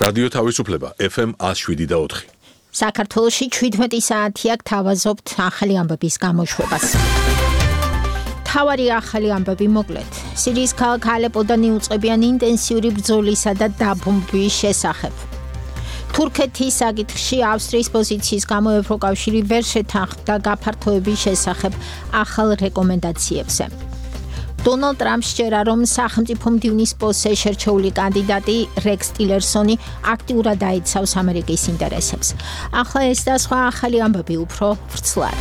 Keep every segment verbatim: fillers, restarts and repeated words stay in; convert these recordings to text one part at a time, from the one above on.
რადიო თავისუფლება ეფ ემ one oh seven და four. საქართველოში ჩვიდმეტი საათია გთავაზობთ ახალი ამბების გამოშვებას. თავარი ახალი ამბები მოკლედ. სირიის ქალაქ ალეპოდან იუწყებიან ინტენსიური ბრძოლისა და დაბომბვის შესახებ. თურქეთის საკითხში ავსტრიის პოზიციის გამო ევროკავშირი ვერ შეთანხმდა გაფართოების შესახებ ახალ რეკომენდაციებზე. დონალდ ტრამპს სჯერა, რომ სახელმწიფო მდივნის პოსტზე შერჩეული კანდიდატი რექს ტილერსონი აქტიურად აიცავს ამერიკის ინტერესებს. ახლა ეს და სხვა ახალი ამბები უფრო ვრცლად.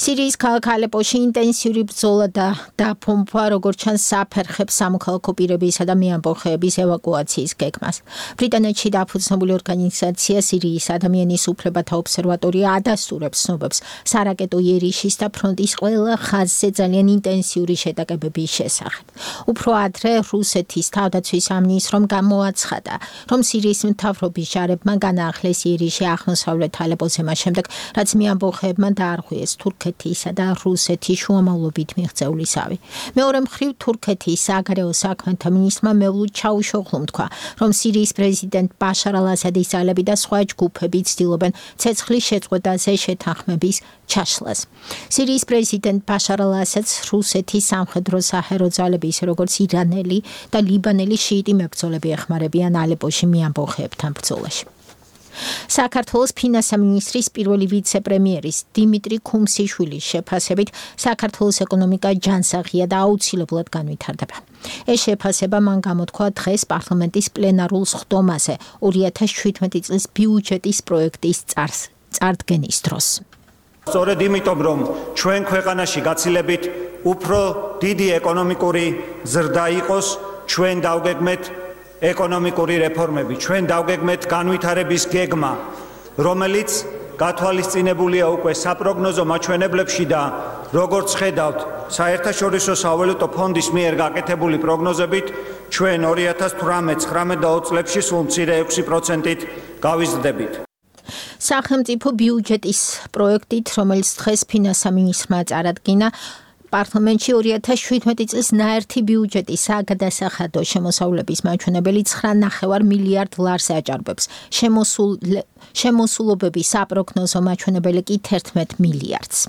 სირიის ქალაქ ალეპოში ინტენსიური ბრძოლა და დაბომბვა როგორც ჩანს საფერხებს სამოქალაქო პირებისა და მეამბოხეების ევაკუაციის გეგმას. ბრიტანეთში დაფუძნებული ორგანიზაცია სირიის ადამიანის უფლებათა ობსერვატორია ადასტურებს ცნობებს სარაკეტო იერიშის და ფრონტის ყველა ხაზზე ძალიან ინტენსიური შეტაკებების შესახებ. უფრო ადრე რუსეთის თავდაცვის სამინისტრომ გამოაცხადა, რომ სირიის მთავრობის ჯარებმა განაახლეს იერიში აღმოსავლეთ ალეპოზე მას შემდეგ, რაც მეამბოხეებმა დაარღვიეს თურქეთის და რუსეთის შუამავლობით მიღწევლისავი. მეორე მხრივ თურქეთის საგარეო საქმეთა მინისტრმა მევლუდ ჩაუშოღლუმ თქვა, რომ სირიის პრეზიდენტ ბაშარ ალ-ასადის ძალები და სხვა ჯგუფები ცდილობენ ცეცხლის შეწყვეტაზე შეთანხმების ჩაშლას. სირიის პრეზიდენტ ბაშარ ალ-ასადს რუსეთის სამხედრო საჰერო ძალები, ისე როგორც ირანელი და ლიბანელი შიიტი მებრძოლები ეხმარებიან ალეპოში მეამბოხეებთან ბრძოლაში. საქართველოს ფინანსთა მინისტრის პირველი ვიცე-პრემიერის დიმიტრი ქუმსიშვილის შეფასებით საქართველოს ეკონომიკა ჯანსაღია და აუცილებლად განვითარდება. ეს შეფასება მან გამოთქვა დღეს პარლამენტის პლენარულ სხდომაზე ორი ათას შვიდმეტი წლის ბიუჯეტის პროექტის წარდგენის დროს. სწორედ იმიტომ, რომ ჩვენ ქვეყანაში გაცილებით უფრო დიდი ეკონომიკური ზრდა იყოს, ჩვენ დავგეგმეთ ეკონომიკური რეფორმები, ჩვენ დავგეგმეთ განვითარების გეგმა, რომელიც გათვალისწინებულია უკვე საპროგნოზო მაჩვენებლებში და როგორც ხედავთ, საერთაშორისო სავალუტო ფონდის მიერ გაკეთებული პროგნოზებით, ჩვენ ორი ათას თვრამეტ, ცხრამეტ და ოცი წლებში სულ მცირე ექვსი პროცენტით გავიზრდებით. სახელმწიფო ბიუჯეტის პროექტით, რომელიც დღეს ფინანსთა მინისტრმა წარადგინა, პარლამენტში ორი ათას შვიდმეტი წლის ნაერთი ბიუჯეტის საგადასახადო შემოსავლების მაჩვენებელი ცხრა ნახევარ მილიარდ ლარს აჭარბებს. შემოსულობების საპროგნოზო მაჩვენებელი კი თერთმეტ მილიარდს.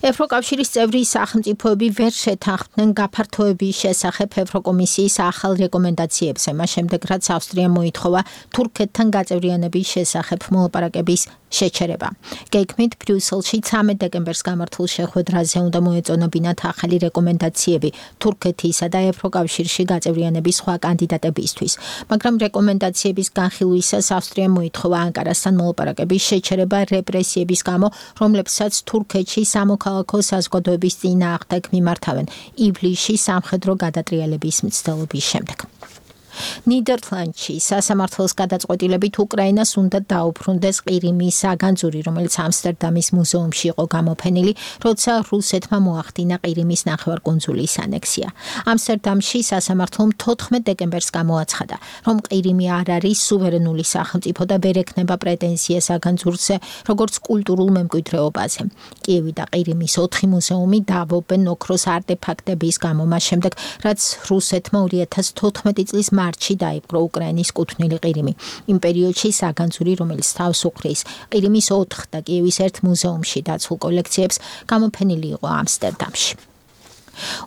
ევროკავშირის წევრი სახელმწიფოები ვერ შეთანხმდნენ გაფართოების შესახებ ევროკომისიის ახალ რეკომენდაციებზე, მას შემდეგ რაც ავსტრიამ მოითხოვა თურქეთთან გაწევრიანების შესახებ მოლაპარაკების შეჩერება. გეგმით ბრიუსელში ცამეტ დეკემბერს გამართულ შეხვედრაზე უნდა მოეწონებინათ ახალი რეკომენდაციები თურქეთისა და ევროკავშირში გაწევრიანების სხვა კანდიდატებისთვის, მაგრამ რეკომენდაციების განხილვისას ავსტრიამ მოითხოვა ანკარასთან მოლაპარაკების შეჩერება რეპრესიების გამო, რომლებსაც თურქეთში სამოქალაქო საზოგადოების წინააღმდეგ მიმართავენ ივლისში სამხედრო გადატრიალების მცდელობის შემდეგ. ნიდერლანდში სასამართლოს გადაწყვეტილებით უკრაინას უნდა დაუბრუნდეს ყირიმის საგანძური, რომელიც ამსტერდამის მუზეუმში იყო გამოფენილი, როცა რუსეთმა მოახდინა ყირიმის ნახევარკუნძულის ანექსია. ამსტერდამში სასამართლომ თოთხმეტ დეკემბერს გამოაცხადა, რომ ყირიმი არ არის სუვერენული სახელმწიფო და ვერ ექნება პრეტენზია საგანძურზე, როგორც კულტურულ მემკვიდრეობაზე. კიევი და ყირიმის ოთხი მუზეუმი დაავობენ ოქროს არტეფაქტების გამო, მას შემდეგ, რაც რუსეთმა ორი ათას თოთხმეტი წლის მარტში დაიპყრო უკრაინის კუთვნილი ყირიმი. იმ პერიოდში საგანძური, რომელიც თავს უხრის ყირიმის ოთხ და კიევის ერთ მუზეუმში დაცულ კოლექციებს, გამოფენილი იყო ამსტერდამში.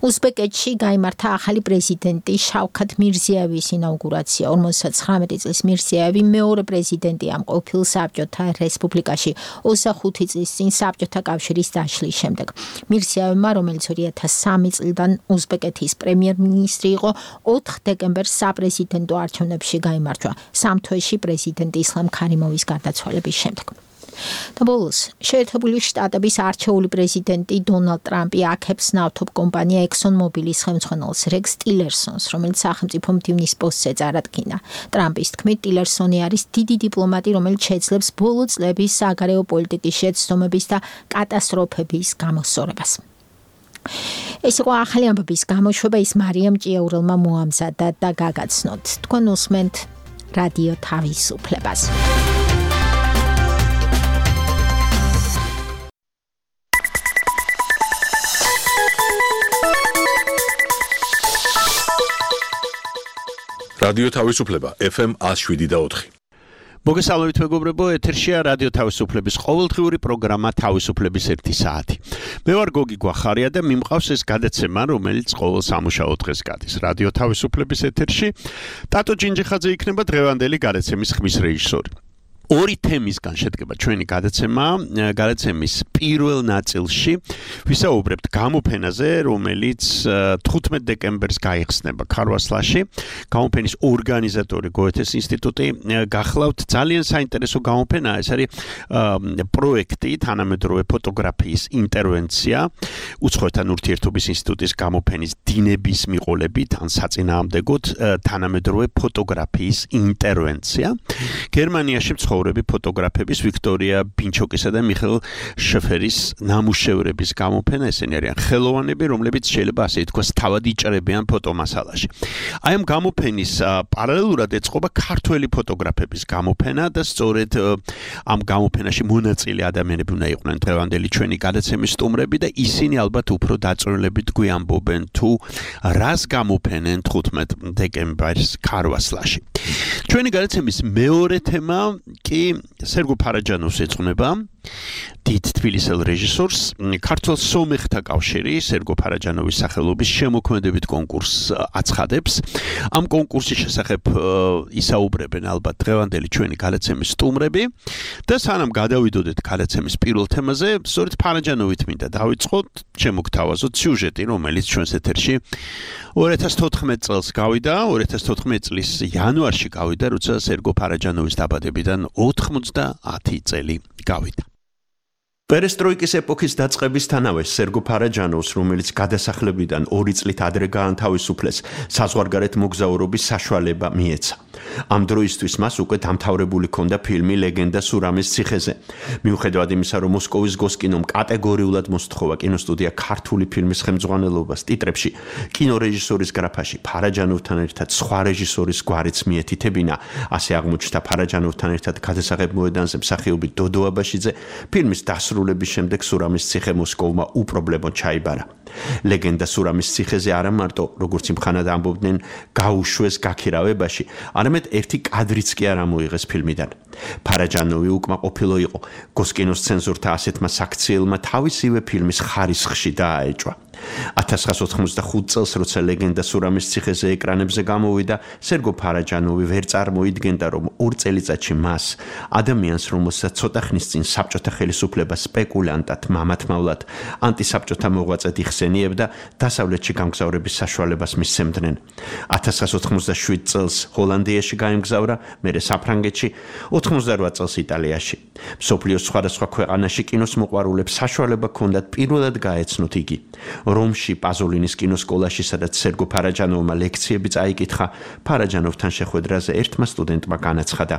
უზბეკეთში გაიმართა ახალი პრეზიდენტი შავქათ მირზიევის ინაუგურაცია. ორმოცდაცხრამეტი წლის მირზიევი მეორე პრეზიდენტია ამ ყოფილ საბჭოთა რესპუბლიკაში ოცდახუთი წლის წინ საბჭოთა კავშირის დაშლის შემდეგ. მირზიევმა, რომელიც ორი ათას სამი წლიდან უზბეკეთის პრემიერ-მინისტრი იყო, ოთხ დეკემბერს საპრეზიდენტო არჩევნებში გაიმარჯვა, სამ თვეში პრეზიდენტ ისლამ ქარიმოვის გარდაცვალების შემდეგ. და ბოლოს, შეერთებული შტატების არჩეული პრეზიდენტი დონალდ ტრამპი აქებს ნავთობ კომპანია ექსონმობილის ხელმძღვანელს რექს ტილერსონს, რომელიც სახელმწიფო მდივნის პოსტზე წარადგინა. ტრამპის თქმით, ტილერსონი არის დიდი დიპლომატი, რომელიც შეძლებს ბოლო წლების საგარეო პოლიტიკის შეცდომების და კატასტროფების გამოსწორებას. ეს იყო ახალი ამბების გამოშვება, ის მარიამ ჭიაურელმა მოამზადა და გაგაცნოთ. თქვენ უსმენთ რადიო თავისუფლებას. რადიო თავისუფლება ეფ ემ one oh seven point four. მოგესალმებით მეგობრებო, ეთერშია რადიო თავისუფლების ყოველდღიური პროგრამა თავისუფლების ერთი საათი. მე ვარ გოგი გვახარია და მიმყავს ეს გადაცემა, რომელიც ყოველ სამუშაო დღეს გადის. რადიო თავისუფლების ეთერში ტატო ჯინჯიხაძე იქნება დღევანდელი გადაცემის ხმის რეჟისორი. ორი თემისგან შედგება ჩვენი გადაცემა, გადაცემის პირველ ნაწილში ვისაუბრებთ გამოფენაზე, რომელიც თხუთმეტ დეკემბერს გაიხსნება ქარვასლაში. გამოფენის ორგანიზატორი გოეთეს ინსტიტუტი. გახლავთ ძალიან საინტერესო გამოფენა, ეს არის პროექტი თანამედროვე ფოტოგრაფიის ინტერვენცია უცხოეთთან ურთიერთობის ინსტიტუტის გამოფენის დინების მიყოლებით ან საწინააღმდეგოდ თანამედროვე ფოტოგრაფიის ინტერვენცია. გერმანიაში ფოტოგრაფების ვიქტორია ბინჩოკისა და მიხეილ შეფერის ნამუშევრების გამოფენა. ესენი არიან ხელოვანები, რომლებიც შეიძლება ასე ითქვას თავად იჭრებიან ფოტომასალაში. აი ამ გამოფენის პარალელურად ეწყობა ქართველი ფოტოგრაფების გამოფენა და სწორედ ამ გამოფენაში მონაწილე ადამიანები უნდა იყვნენ დღევანდელი ჩვენი გადაცემის სტუმრები და ისინი ალბათ უფრო დაწვრილებით გვიამბობენ თუ რას გამოფენენ თხუთმეტ დეკემბერს ქარვასლაში. ჩვენი გადაცემის მეორე თემა კი სერგო ფარაჯანოვს ეძღვნება, დიდ თბილისელ რეჟისორს. ქართულ სომეხთა კავშირი სერგო ფარაჯანოვის სახელობის შემოქმედებით კონკურსს აცხადებს. ამ კონკურსის შესახებ ისაუბრებენ ალბათ დღევანდელი ჩვენი გადაცემის სტუმრები და სანამ გადავიდოდეთ გადაცემის პირველ თემაზე, სწორედ ფარაჯანოვით მინდა დავიწყოთ, შემოგთავაზოთ სიუჟეტი, რომელიც ჩვენს ეთერში ორი ათას თოთხმეტ წელს გავიდა, ორი ათას თოთხმეტ წლის იანვარში გავიდა, როცა სერგო ფარაჯანოვის დაბადებიდან ოცდაათი წელი გავიდა. პერესტროიკის ეპოქის დაწყებისთანავე სერგო ფარაჯანოვს, რომელიც გადასახლებიდან ორი წლით ადრე გაანთავისუფლეს, საზღვარგარეთ მოგზაურობის საშუალება მიეცა. ამ დროისთვის მას უკვე დამთავრებული ჰქონდა ფილმი ლეგენდა სურამის ციხეზე. მიუხედავად იმისა, რომ მოსკოვის გოსკინომ კატეგორიულად მოსთხოვა კინოსტუდია ქართული ფილმის ხელმძღვანელობას ტიტრებში, კინორეჟისორის გრაფაში ფარაჯანოვთან ერთად სხვა რეჟისორის გვარიც მიეთითებინა, ასე აღმოჩნდა ფარაჯანოვთან ერთად გადასაღებ მოედანზე მსახიობი დოდო აბაშიძე, ფილმის დასრულების შემდეგ სურამის ციხე მოსკოვმა უპრობლემოდ ჩაიბარა. ლეგენდა სურამის ციხეზე არა მარტო, როგორც იმხანად ამბობდნენ, გაუშვეს გაქირავებაში, არამედ ერთი კადრიც კი არ ამოიღეს ფილმიდან. ფარაჯანოვი უკმაყოფილო იყო გოსკინოს ცენზორთა ასეთმა საქციელმა თავისივე ფილმის ხარისხში დააეჭვა. ათას ცხრაასი ოთხმოცდახუთ წელს, როცა ლეგენდა სურამის ციხეზე ეკრანებზე გამოვიდა, სერგო ფარაჯანოვი ვერ წარმოიდგენდა, რომ ორ წელიწადში მას, ადამიანს, რომელსაც ცოტა ხნის წინ საბჭოთა ხელისუფლება სპეკულანტად, მამათმავლად, ანტისაბჭოთა მოღვაწედ იხსენიებდა, დასავლეთში გამგზავრების საშუალებას მისცემდნენ. ათას ცხრაასი ოცდაშვიდ წელს ჰოლანდიაში გაემგზავრა, მერე საფრანგეთში, ოცდაოთხ წელს იტალიაში. მსოფლიოს სხვადასხვა ქვეყანაში კინოს მოყვარულებს საშუალება ჰქონდათ პირველად გაეცნოთ იგი. რომში პაზოლინის კინოსკოლაში, სადაც სერგო ფარაჯანოვმა ლექციები წაიკითხა, ფარაჯანოვთან შეხვედრაზე ერთმა სტუდენტმა განაცხადა: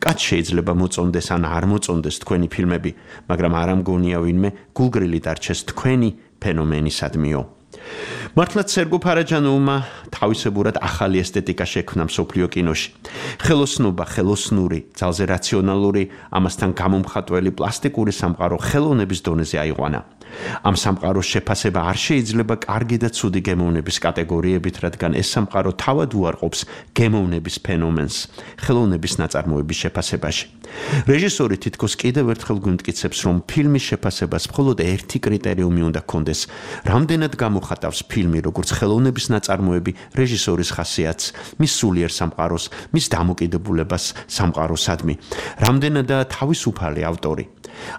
კაც შეიძლება მოწონდეს ან არ მოწონდეს თქვენი ფილმები, მაგრამ არ ამგონია ვინმე გულგრილი დარჩეს თქვენი ფენომენისადმიო. მართლაც სერგო ფარაჯანოვმა თავისებურად ახალი ესთეტიკა შექმნა მსოფლიო კინოში. ხელოსნობა, ხელოსნური, ძალზე რაციონალური, ამასთან გამომხატველი პლასტიკური სამყარო ხელოვნების დონეზე აიყვანა. ამ სამყაროს შეფასება არ შეიძლება კარგი და ცუდი გემოვნების კატეგორიებით, რადგან ეს სამყარო თავად უარყოფს გემოვნების ფენომენს ხელოვნების ნაწარმოების შეფასებაში. რეჟისორი თითქოს კიდევ ერთხელ გვიმტკიცებს, რომ ფილმის შეფასებას მხოლოდ ერთი კრიტერიუმი უნდა ჰქონდეს: რამდენად გამოხატავს ფილმი როგორც ხელოვნების ნაწარმოები რეჟისორის ხასიათს, მის სულიერ სამყაროს, მის დამოკიდებულებას სამყაროსადმი, რამდენადაა თავისუფალი ავტორი.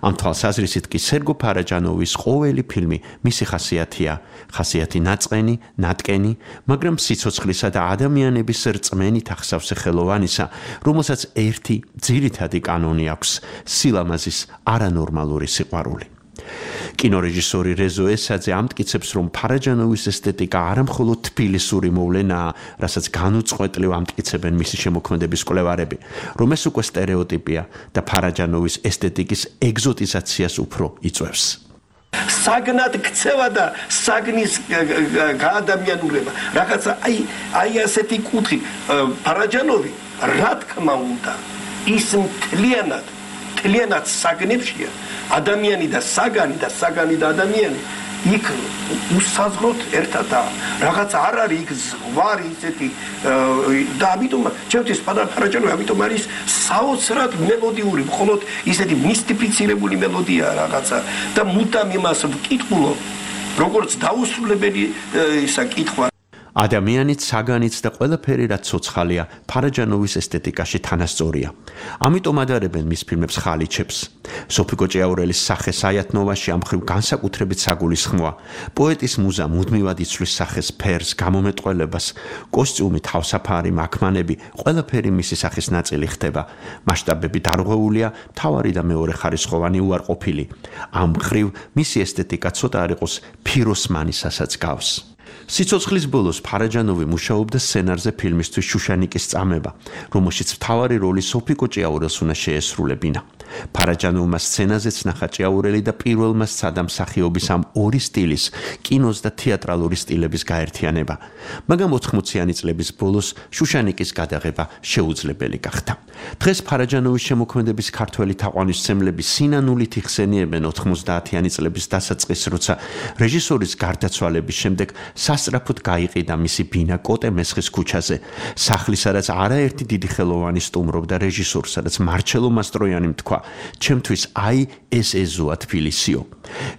ამ თვალსაზრისით კი სერგო ფარაჯანოვის ყოველი ფილმი მისი ხასიათია, ხასიათი ნაწყენი, ნატკენი, მაგრამ სიცოცხლისა და ადამიანების რწმენით ახსავსე ხელოვანისა, რომელსაც ერთი ძირითადი კანონი აქვს: სილამაზის არანორმალური სიყვარული. კინორეჟისორი რეზო ესაძე ამტკიცებს, რომ ფარაჯანოვის ესთეტიკა არა მხოლოდ თბილისური მოვლენაა, რასაც განუწყვეტლივ ამტკიცებენ მისი შემოქმედების კვლევარები, რომ ეს უკვე სტერეოტიპია და ფარაჯანოვის ესთეტიკის ეგზოტიზაციას უფრო იწვევს. საგნად ქცევა და საგნის გაადამიანურება. რაღაცა აი აი ასეთი კუთხი ფარაჯანოვი რა თქმა უნდა ის მთლიანად მთლიანად საგნებშია ადამიანი და საგანი და საგანი და ადამიანი იქ უსაზღროდ ერთადა რაღაც არ არის იქ ზღვარი ისეთი და ამიტომ ჩემთვის ფარაჯანოვი ამიტომ არის საოცრად მელოდიური მხოლოდ ისეთი მისტიფიცირებული მელოდია რაღაცა და მუდამ იმას ვკითხულობ როგორც დაუსრულებელი ისა კითხვა ადამიანიც, საგანიც და ყველაფერი რაც ცოცხალია, ფარაჯანოვის ესთეტიკაში თანასწორია. ამიტომ ადარებენ მის ფილმებს ხალიჩებს. სოფიკო ჭიაურელის სახე საიათნოვაში ამ მხრივ განსაკუთრებით საგულისხმოა. პოეტის მუზა მუდმივად იცვლის სახეს, ფერს, გამომეტყველებას, კოსტიუმი, თავსაფარი, მაქმანები, ყველაფერი მისი სახის ნაწილი ხდება. მასშტაბები დარღვეულია, მთავარი და მეორე ხარისხოვანი უარყოფილი. ამ მხრივ მისი ესთეტიკა ცოტა არ იყოს ფიროსმანისასაც გავს. სიცოცხლის ბოლოს ფარაჯანოვი მუშაობდა სცენარზე ფილმისთვის შუშანიკის წამება, რომელშიც მთავარი როლი სოფიკო ჭიაურელს უნდა შეესრულებინა. ფარაჯანოვმა სცენაზეც ნახა ჭიაურელი და პირველმა სცადა მსახიობის ამ ორი სტილის, კინოს და თეატრალური სტილების გაერთიანება. მაგრამ ოთხმოციანი წლების ბოლოს შუშანიკის გადაღება შეუძლებელი გახდა. დღეს ფარაჯანოვის შემოქმედების ქართველი თაყვანისმცემლები სინანულით იხსენიებენ ოთხმოცდაათიანი წლების დასაწყისს, როცა რეჟისორის გარდაცვალების შემდეგ სასწრაფოდ გაიყიდა მისი ბინა კოტე მესხის ქუჩაზე, სახლი, სადაც არაერთი დიდი ხელოვანი სტუმრობდა რეჟისორს, სადაც მარჩელო მასტროიანი თქვა, ჩემთვის აი ეს ეზოა თბილისიო.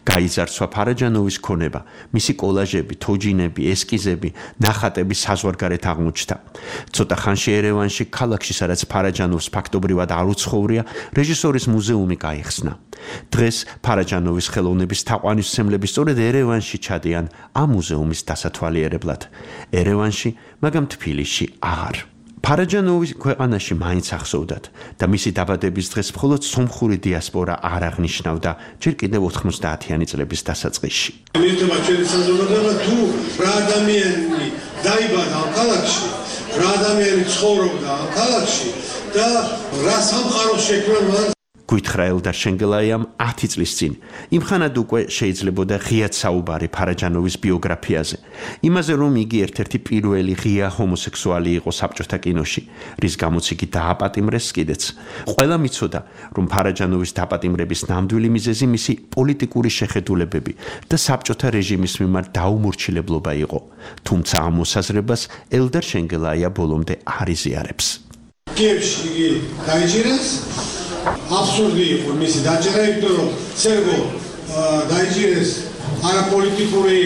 გაიზარცვა ფარაჯანოვის ქონება, მისი კოლაჟები, თოჯინები, ესკიზები, ნახატები საზღვარგარეთ აღმოჩნდა. ცოტა ხანში ერევანში, ქალაქში, სადაც ფარაჯანოვს ფაქტობრივად არ უცხოვრია, რეჟისორის მუზეუმი გაიხსნა. დღეს ფარაჯანოვის ხელოვნების თაყვანისმცემლები სწორედ ერევანში ჩადიან ამ მუზეუმის დასათვალიერებლად. ერევანში, მაგრამ თბილისში აღარ. ფარაჯანოვის ქვეყანაში მაინც ახსოვდათ და მისი დაბადების დღეს მხოლოდ სომხური დიასპორა არ აღნიშნავდა ჯერ კიდევ ოთხმოცდაათიანი წლების დასაწყისში. მიუხედავად ჩვენი საზოგადოება თუ რა ადამიანი დაიბადა ამ ქალაქში, რა ადამიანი ცხოვრობდა ამ ქალაქში და რა სამყარო შექმნა გვითხრა ელდარ შენგელაიამ ათი წლის წინ. იმხანად უკვე შეიძლებოდა ღიად საუბარი ფარაჯანოვის ბიოგრაფიაზე. იმაზე, რომ იგი ერთ-ერთი პირველი ღია ჰომოსექსუალი იყო საბჭოთა კინოში, რის გამოც იგი დააპატიმრეს კიდეც. ყველა მიცოდა, რომ ფარაჯანოვის დაპატიმრების ნამდვილი მიზეზი მისი პოლიტიკური შეხედულებები და საბჭოთა რეჟიმის მიმართ დაუმორჩილებლობა იყო. თუმცა ამ მოსაზრებას ელდარ შენგელაია ბოლომდე არ იზიარებს. კიევში იგი დაიჭირეს აბსურდი იყო მისი დაჭერა, იმიტომ რომ სერგო დაიჭირეს არაპოლიტიკური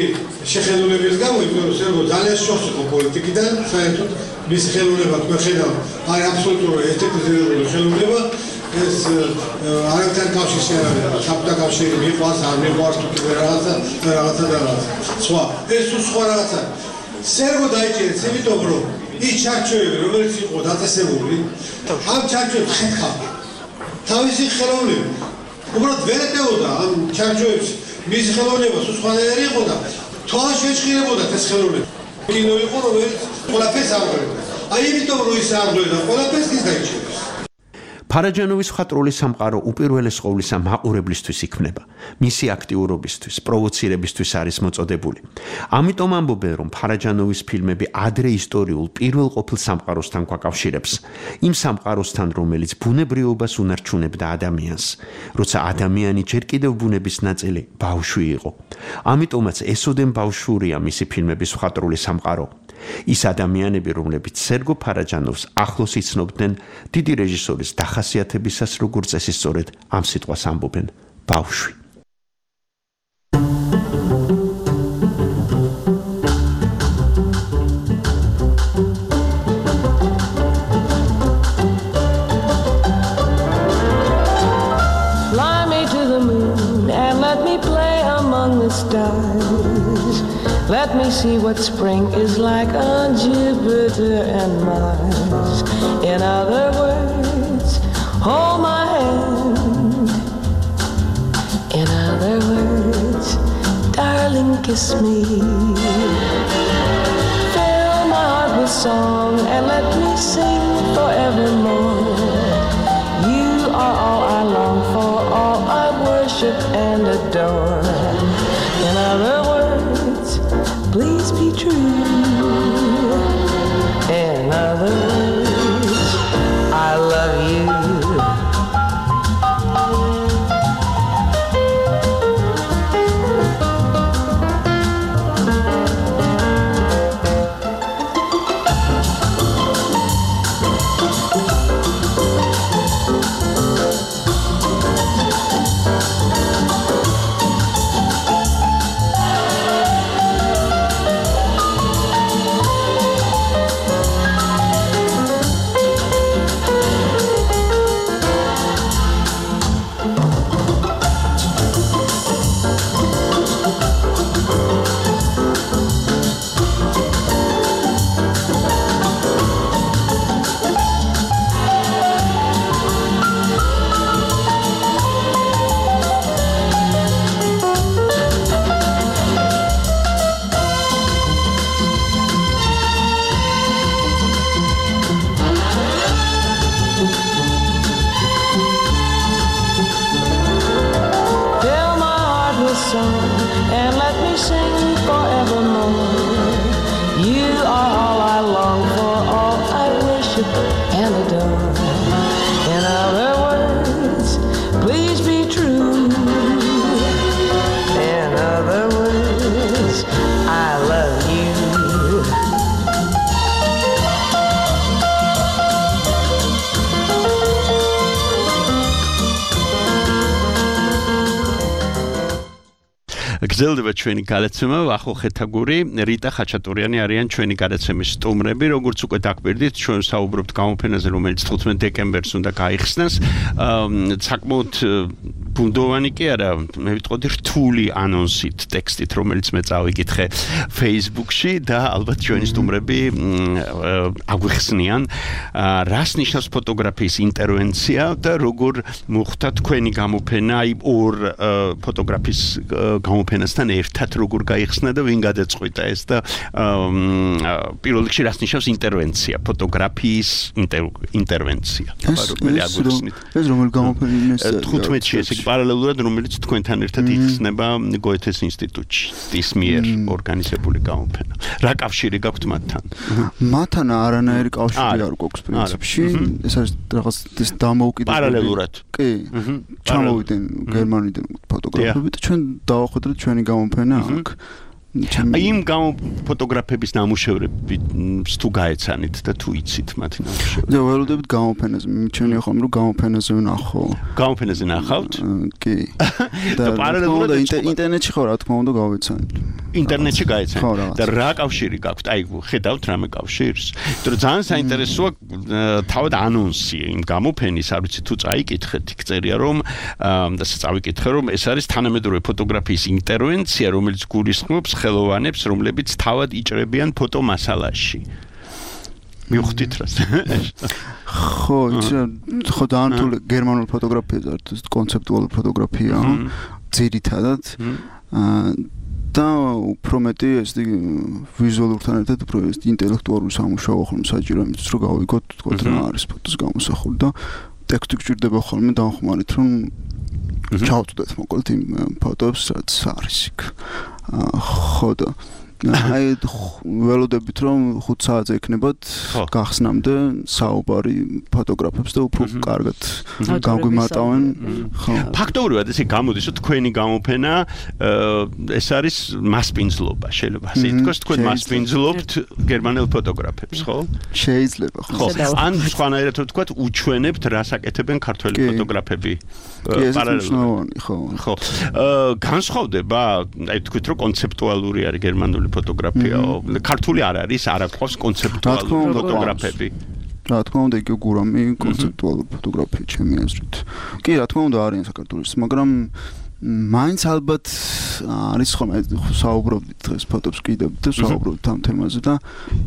შეხედულების გამო, იმიტომ რომ სერგო ძალიან შორს იყო პოლიტიკიდან, საერთოდ მისი ხელოვნება თქვენ ხედავთ, არის აბსოლუტურად ესთეტიზირებული ხელოვნება, ეს არაერთი კავშირი შეერავა, საბჭოთა კავშირი მიყვარს, არ მიყვარს თუ კიდე რაღაცა, რაღაცა და რაღაცა. სხვა, ეს თუ სხვა რაღაცა. სერგო დაიჭირეს, იმიტომ რომ ის ჩარჩოები, რომელიც იყო დაწესებული, ამ ჩარჩოებს ხეთქა თავისი ხელოვნება. უბრალოდ ვერ ეტეოდა ამ ჩარჩოებს მისი ხელოვნება სულ სხვანაირი იყო და თვალში ეჭხირებოდა ეს ხელოვნება. კინო იყო, რომელიც ყველაფერს აღღვევდა. აი იმიტომ რომ ის აღღვევდა, ყველაფერს ის დაიჭირეს. ფარაჯანოვის მხატვრული სამყარო უპირველეს ყოვლისა მაყურებლისთვის იქმნება. მისი აქტიურობისთვის, პროვოცირებისთვის არის მოწოდებული. ამიტომ ამბობენ, რომ ფარაჯანოვის ფილმები ადრე ისტორიულ პირველ ყოფილ სამყაროსთან გვაკავშირებს. იმ სამყაროსთან, რომელიც ბუნებრიობას უნარჩუნებდა ადამიანს, როცა ადამიანი ჯერ კიდევ ბუნების ნაწილი ბავშვი იყო. ამიტომაც ესოდენ ბავშვურია მისი ფილმების მხატვრული სამყარო. ის ადამიანები, რომლებიც სერგო ფარაჯანოვს ახლოს იცნობდნენ, დიდი რეჟისორის დახასიათებისას, როგორც წესი სწორედ ამ სიტყვას ამბობენ ბავშვი. Fly me to the moon and let me play among the stars. Let me see what spring is like on Jupiter and Mars. In other words, hold my hand. In other words, darling, kiss me. Fill my heart with song and let me sing forevermore. You are all I long for, all I worship and adore. In other words, please be true. In other words, I love you. song and let me sing forevermore. You are all I long for, all I worship and adore. In other words, please be true. In other words, I love you. გრძელდება ჩვენი გადაცემა ვახო ხეთაგური რიტა ხაჩატურიანი არიან ჩვენი გადაცემის სტუმრები როგორც უკვე დაგბერდით ჩვენ საუბრობთ გამოფენაზე რომელიც თხუთმეტ დეკემბერს უნდა გაიხსნას საკმაოდ ბუნდოვანი კი არა მე ვიტყოდი რთული ანონსით ტექსტით რომელიც მე წავიკითხე Facebook-ში და ალბათ ჩვენი სტუმრები აგვიხსნიან რას ნიშნავს ფოტოგრაფიის ინტერვენცია და როგორ მოხდა თქვენი გამოფენა აი ორ ფოტოგრაფის გამოფენასთან ერთად როგორ გაიხსნა და ვინ გადაწყვიტა ეს და პირველ რიგში რას ნიშნავს ინტერვენცია ფოტოგრაფიის ინტერვენცია რომელი აგვიხსნით ეს რომელი გამოფენა ეს თხუთმეტში ეს პარალელურად რომელიც თქვენთან ერთად იხსნება გოეთეს ინსტიტუტში ის მიერ ორგანიზებული გამოფენა რა კავშირი გაქვთ მათთან მათთან არანაირი კავშირი არ გვაქვს პრინციპში ეს არის რაღაც ეს დამოუკიდებელი პარალელურად კი ჩამოვიდნენ გერმანიდან ფოტოგრაფები და ჩვენ დავახვედრეთ ჩვენი გამოფენა აქ იმ ფოტოგრაფების ნამუშევრები თუ გაეცანით და თუ იცით მათი ნამუშევრები და ველოდებით გამოფენაზე მიჩვენია ხომ რომ გამოფენაზე ვნახო გამოფენაზე ნახავთ კი და პარალელურად ინტერნეტში ხო რა თქმა უნდა გავეცანით ინტერნეტში გაეცანით და რა კავშირი გაქვთ აი ხედავთ რამე კავშირს იმიტომ რომ ძალიან საინტერესოა თავად ანონსი იმ გამოფენის არ ვიცი თუ წაიკითხეთ იქ წერია რომ და წავიკითხე რომ ეს არის თანამედროვე ფოტოგრაფიის ინტერვენცია რომელიც გულისხმობს ხელოვანებს რომლებიც თავად იჭრებიან ფოტომასალაში მივხვდით რას ხო ხო დაანთული გერმანული ფოტოგრაფია ეს კონცეპტუალური ფოტოგრაფია ძირითადად და უფრო მეტი ეს ვიზუალურთან ერთად უფრო ეს ინტელექტუალური სამუშაო ხოლმე საჭირო იმისთვის რომ გავიგოთ თქო რა არის ფოტოს გამოსახული და ტექსტი გჭირდება ხოლმე დამხმარით რომ ჩავწვდეთ მოკლედ იმ ფოტოებს რაც არის იქ ხო და აი ველოდებით რომ ხუთ საათზე იქნებათ გახსნამდე საუბარი ფოტოგრაფებს და უფრო კარგად გაგვიმარტავენ ხო ფაქტობრივად ესე გამოდის რომ თქვენი გამოფენა ეს არის მასპინძლობა შეიძლება ასე ითქვას თქვენ მასპინძლობთ გერმანელ ფოტოგრაფებს ხო შეიძლება ხო ან სხვანაირად ვთქვათ უჩვენებთ რას აკეთებენ ქართველი ფოტოგრაფები პარალელურად ხო ხო განსხვავდება აი თქვით რომ კონცეპტუალური არის გერმანული ფოტოგრაფია ქართული არ არის არ აქვს კონცეპტუალური ფოტოგრაფები რა თქმა უნდა იგი გურამი კონცეპტუალური ფოტოგრაფია ჩემი აზრით კი რა თქმა უნდა არიან საქართველოს მაგრამ მაინც ალბათ არის ხოლმე საუბრობთ დღეს ფოტოს კიდევ და საუბრობთ ამ თემაზე და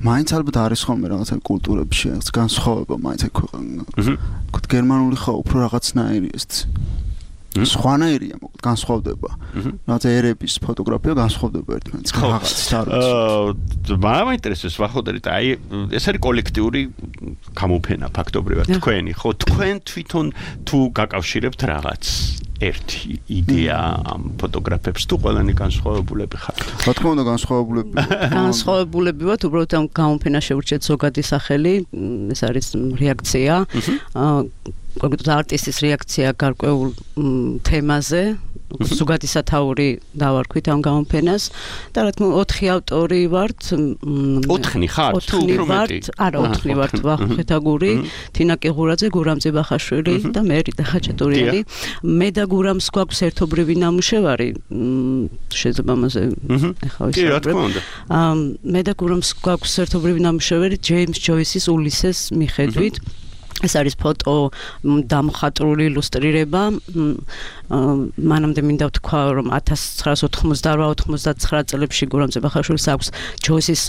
მაინც ალბათ არის ხოლმე რაღაცა კულტურებში რაღაც განსხვავება მაინც აი ქვეყანა თქო გერმანული ხო უფრო რაღაცნაირი ეს სხვანაირია მოკლედ განსხვავდება რაღაცა ერების ფოტოგრაფია განსხვავდება ერთმანეთს რაღაცით არ ვიცი აა მაინტერესებს ვახოდერით აი ეს არის კოლექტიური გამოფენა ფაქტობრივად თქვენი ხო თქვენ თვითონ თუ გაკავშირებთ რაღაც ერთი იდეა ამ ფოტოგრაფებს თუ ყველანი განსხვავებულები ხართ რა თქმა უნდა განსხვავებულები განსხვავებულები ვართ უბრალოდ ამ გამოფენას შევურჩეთ ზოგადი სახელი ეს არის რეაქცია კონკრეტულად არტისტის რეაქცია გარკვეულ თემაზე ზოგადი სათაური დავარქვით ამ გამოფენას და რა თქმა უნდა ოთხი ავტორი ვართ ოთხი ხართ თუ უფრო მეტი არა ოთხი ვართ ვახო ხეთაგური თინა კიღურაძე გურამ ძებახაშვილი და მე რიტა ხაჩატურიანი მე და გურამს გვაქვს ერთობრივი ნამუშევარი შეიძლება ამაზე ახლა ვისაუბრებ მე და გურამს გვაქვს ერთობრივი ნამუშევარი ჯეიმს ჯოისის ულისეს მიხედვით ეს არის ფოტო დამხატვრული ილუსტრირება მანამდე მინდა ვთქვა რომ ათას ცხრაასი ოთხმოცდაოთხ ოცდაათწლეულში წლებში გურამ ძებახაშვილს აქვს ჯოისის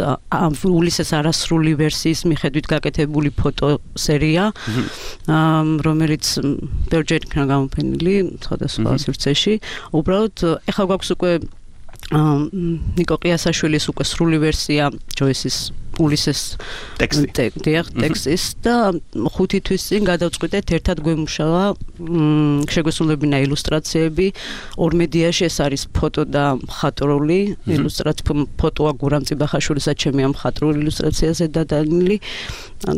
ულისეს არასრული ვერსიის მიხედვით გაკეთებული ფოტო სერია რომელიც ბევრჯერ იქნა გამოფენილი სხვადასხვა სივრცეში უბრალოდ ეხლა გვაქვს უკვე ნიკო ყიასაშვილის უკვე სრული ვერსია ჯოისის პულისეს ტექსტი ტექსტის და ხუთი თვის წინ გადავწყვიტეთ ერთად გვემუშავა შეგვესრულებინა ილუსტრაციები ორ მედიაში ეს არის ფოტო და მხატვრული ილუსტრაცია ფოტოა გურამ წიბახაშვილისა ჩემი ამ მხატვრული ილუსტრაციაზე დადანილი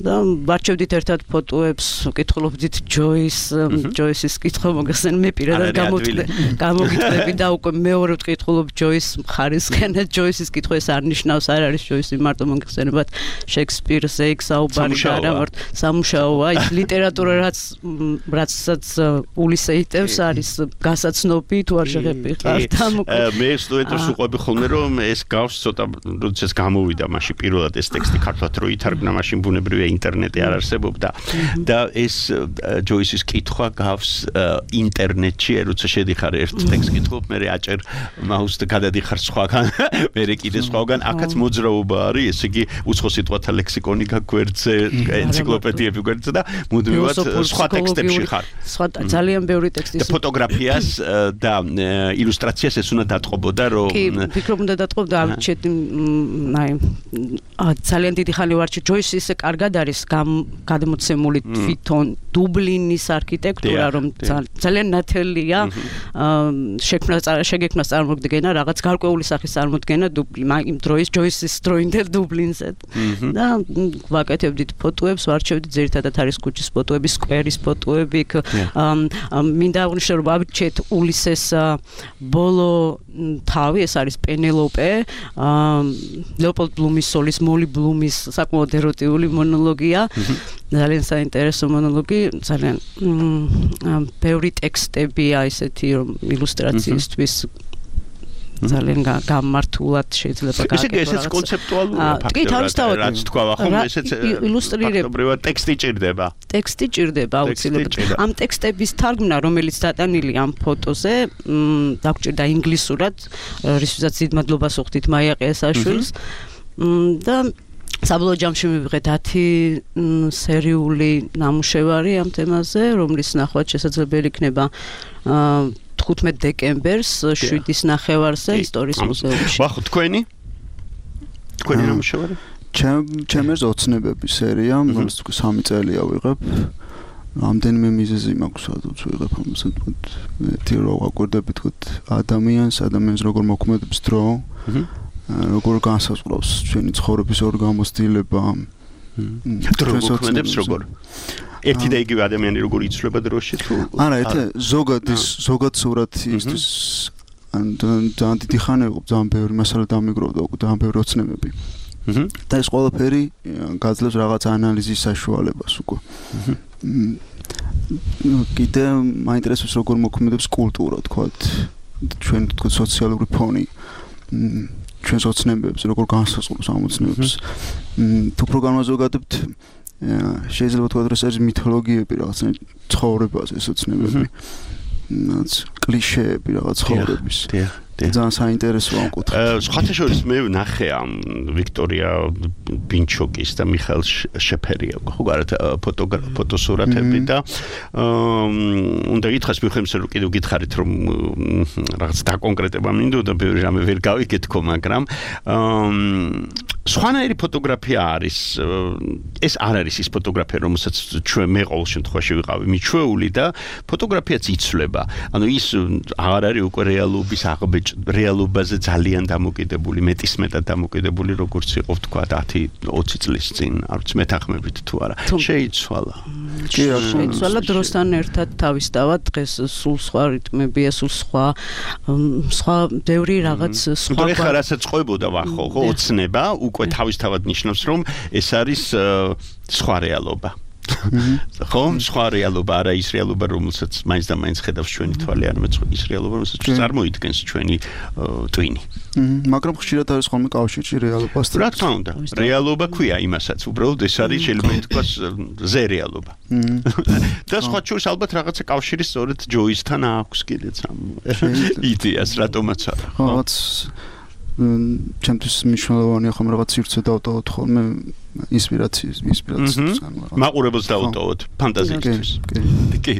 და ვარჩევდით ერთად ფოტოებს ვკითხულობდით ჯოის ჯოისის კითხვა მოგახსენ მე პირადად გამოგიტყვები და უკვე მეორე ვკითხულობ ჯოის მხარისკენ ჯოისის კითხვა ეს არ ნიშნავს არ არის ჯოისი მარტო მოგახსენებათ შექსპირზე იქ საუბარი და არა მარტო სამუშაოა ის ლიტერატურა რაც რაცაც პულისე იტევს არის გასაცნობი თუ არ შეღებიხართ მე სტუდენტებს უყვები ხოლმე რომ ეს გავს ცოტა როდესაც გამოვიდა მაშინ პირველად ეს ტექსტი ქართულად რო ითარგმნა მაშინ ბუნებრივია ინტერნეტი არ არსებობდა და ეს ჯოისის კითხვა გავს ინტერნეტში როცა შედიხარ ერთ ტექსტს კითხულობ მე აჭერ მაუს და გადადიხარ სხვაგან მე კიდე სხვაგან აქაც მოძრაობა არის ესე იგი უცხო სიტყვათა ლექსიკონი გაგვერდზე ენციკლოპედიები გვერდზე და მუდმივად სხვა ტექსტებში ხარ სხვა ძალიან ბევრი ტექსტის და ფოტოგრაფიას და ილუსტრაციას ეს უნდა დატყობოდა რომ კი ვფიქრობ უნდა დატყობდა ამჩეთ აი ძალიან დიდი ხანი ვარჩი ჯოისი ისე კარგად არის გადმოცემული თვითონ დუბლინის არქიტექტურა რომ ძალიან ნათელია შექმნა შეგექმნა წარმოდგენა რაღაც გარკვეული სახის წარმოდგენა იმ დროის ჯოისის დროინდელ დუბლინზე და ვაკეთებდით ფოტოებს ვარჩევდით ძირითადად არის ქუჩის ფოტოები სკვერის ფოტოები მინდა აღვნიშნო რომ ვაჩეთ ულისეს ბოლო თავი ეს არის პენელოპე ლეოპოლდ ბლუმის სოლის მოლი ბლუმის საკმაოდ ეროტიული მონოლოგია ძალიან საინტერესო მონოლოგი ძალიან ბევრი ტექსტებია ესეთი რომ ილუსტრაციისთვის ძალიან გამართულად შეიძლება გააკეთო. ისე ესეც კონცეპტუალურია ფაქტობრივად. რაც თქვა ხომ ესეც ილუსტრირება ტექსტი ჭირდება. ტექსტი ჭირდება აუცილებლად. ამ ტექსტების თარგმნა რომელიც დატანილი ამ ფოტოზე დაგჭირდა ინგლისურად, რისთვისაც დიდ მადლობას ვუხდით მაია ყიასაშვილს და საბოლოო ჯამში მივიღეთ ათი სერიული ნამუშევარი ამ თემაზე, რომლის ნახვა შესაძლებელი იქნება თხუთმეტ დეკემბერს შვიდის ნახევარზე ისტორიის მუზეუმში. ვახო თქვენი? თქვენი ნამუშევარი? ჩემს ოცნებების სერია, რომელიც სამი წელია ვიღებ. რამდენიმე მიზეზი მაქვს, სადაც ვიღებ ამას, თქოთ, ერთი რო ვაკვირდები თქოთ ადამიანს, ადამიანს როგორ მოქმედებს დრო, როგორ განსაზღვრავს ჩვენი ცხოვრების ორ გამოცდილება. დრო მოქმედებს როგორ? ერთი და იგივე ადამიანი როგორ იცვლება დროში თუ არა, ეთე ზოგად ის ზოგად სურათი ისთვის ან ძალიან დიდი ხანი იყო, ძალიან ბევრი მასალა დამიგროვდა, უკვე ძალიან ბევრი ოცნებები. და ეს ყველაფერი გაძლევს რაღაც ანალიზის საშუალებას უკვე. კიდე მაინტერესებს როგორ მოქმედებს კულტურა, თქვათ, ჩვენ თქვათ სოციალური ფონი. ჩვენს ოცნებებს როგორ განსაზღვრავს ამ ოცნებებს. თუ პროგრამაზე ვგადებთ შეიძლება თქვა რომ ეს მითოლოგიები რაღაცა ცხოვრებაზე ეს ოცნებები. რაც კლიშეები რაღაც ცხოვრების. ძალიან საინტერესოა ამ კუთხით. სხვათა შორის მე ნახე ამ ვიქტორია ბინჩოკის და მიხაილ შეფერია ხო გარეთ ფოტოსურათები და უნდა გითხრას მიხემს რომ კიდევ გითხარით რომ რაღაც დაკონკრეტება მინდოდა ბევრი რამე ვერ გავიგეთქო მაგრამ სხვანაირი ფოტოგრაფია არის ეს არ არის ის ფოტოგრაფია რომელსაც ჩვენ მე ყოველ შემთხვევაში ვიყავი მიჩვეული და ფოტოგრაფიაც იცვლება ანუ ის აღარ არის უკვე რეალობის აღბეჭ რეალობაზე ძალიან დამოკიდებული მეტისმეტად დამოკიდებული როგორც იყო თქვა ათი ოცი წლის წინ არ ვიცი მეთანხმებით თუ არა შეიცვალა კი შეიცვალა დროსთან ერთად თავისთავად დღეს სულ სხვა რიტმებია სულ სხვა სხვა ბევრი რაღაც სხვა და ხა რასაც ყვებოდა ვახო ხო ოცნება უკვე თავისთავად ნიშნავს რომ ეს არის სხვა რეალობა ხო სხვა რეალობა არა ის რეალობა რომელსაც მაინც და მაინც ხედავს ჩვენი თვალი არამედ ის რეალობა რომელსაც წარმოიდგენს ჩვენი ტვინი მაგრამ ხშირად არის ხოლმე კავშირში რეალობასთან რა თქმა უნდა რეალობა ქვია იმასაც უბრალოდ ეს არის შეიძლება ითქვას ზე რეალობა და სხვა შორის ალბათ რაღაცა კავშირი სწორედ ჯოისთან აქვს კიდეც ამ იდეას რატომაც არა რაღაც ჩემთვის მნიშვნელოვანია ხომ რაღაც სივრცე დავტოვოთ ხოლმე ინსპირაციის ინსპირაციას მაყურებელს დავტოვოთ ფანტაზიისთვის კი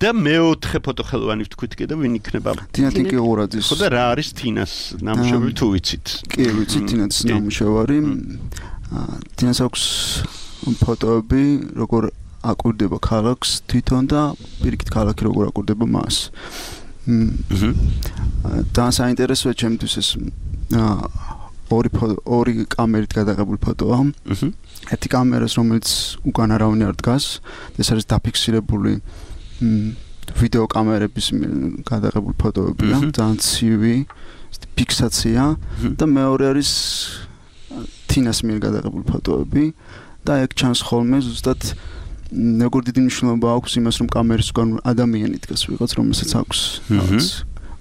და მეოთხე ფოტოხელოვანი ვთქვით კიდე ვინ იქნება თინათიკე ორაძის ხო და რა არის თინას ნამუშევარი თუ ვიცით კი ვიცით თინას ნამუშევარი დინას აქვს ფოტოები, როგორ აკვირდება ქალაქს თვითონ და პირიქით ქალაქი როგორ აკვირდება მას. და საინტერესოა ჩემთვის ეს ორი ორი კამერით გადაღებული ფოტოა. ერთი კამერას რომელიც უკან არავინ არ დგას, ეს არის დაფიქსირებული ვიდეო კამერების გადაღებული ფოტოებია, ძალიან ცივი ფიქსაცია და მეორე არის თინას მიერ გადაღებული ფოტოები და ეგ ჩანს ხოლმე ზუსტად როგორ დიდი მნიშვნელობა აქვს იმას რომ კამერის უკან ადამიანი დგას ვიღაც რომელსაც აქვს რაღაც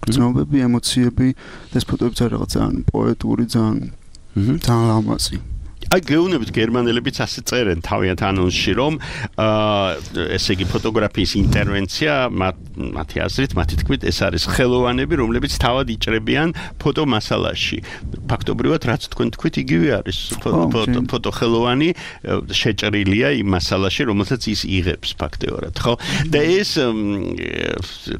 გრძნობები, ემოციები და ეს ფოტოები ძალიან რაღაც ძალიან პოეტური, ძალიან ძალიან ლამაზი. აი გეუბნებით გერმანელებიც ასე წერენ თავიანთ ანონსში რომ ესე იგი ფოტოგრაფიის ინტერვენცია მათი აზრით, მათი თქმით ეს არის ხელოვანები რომლებიც თავად იჭრებიან ფოტო მასალაში. ფაქტობრივად რაც თქვენ თქვით იგივე არის ფოტო ხელოვანი შეჭრილია იმ მასალაში რომელსაც ის იღებს ფაქტეურად ხო? და ეს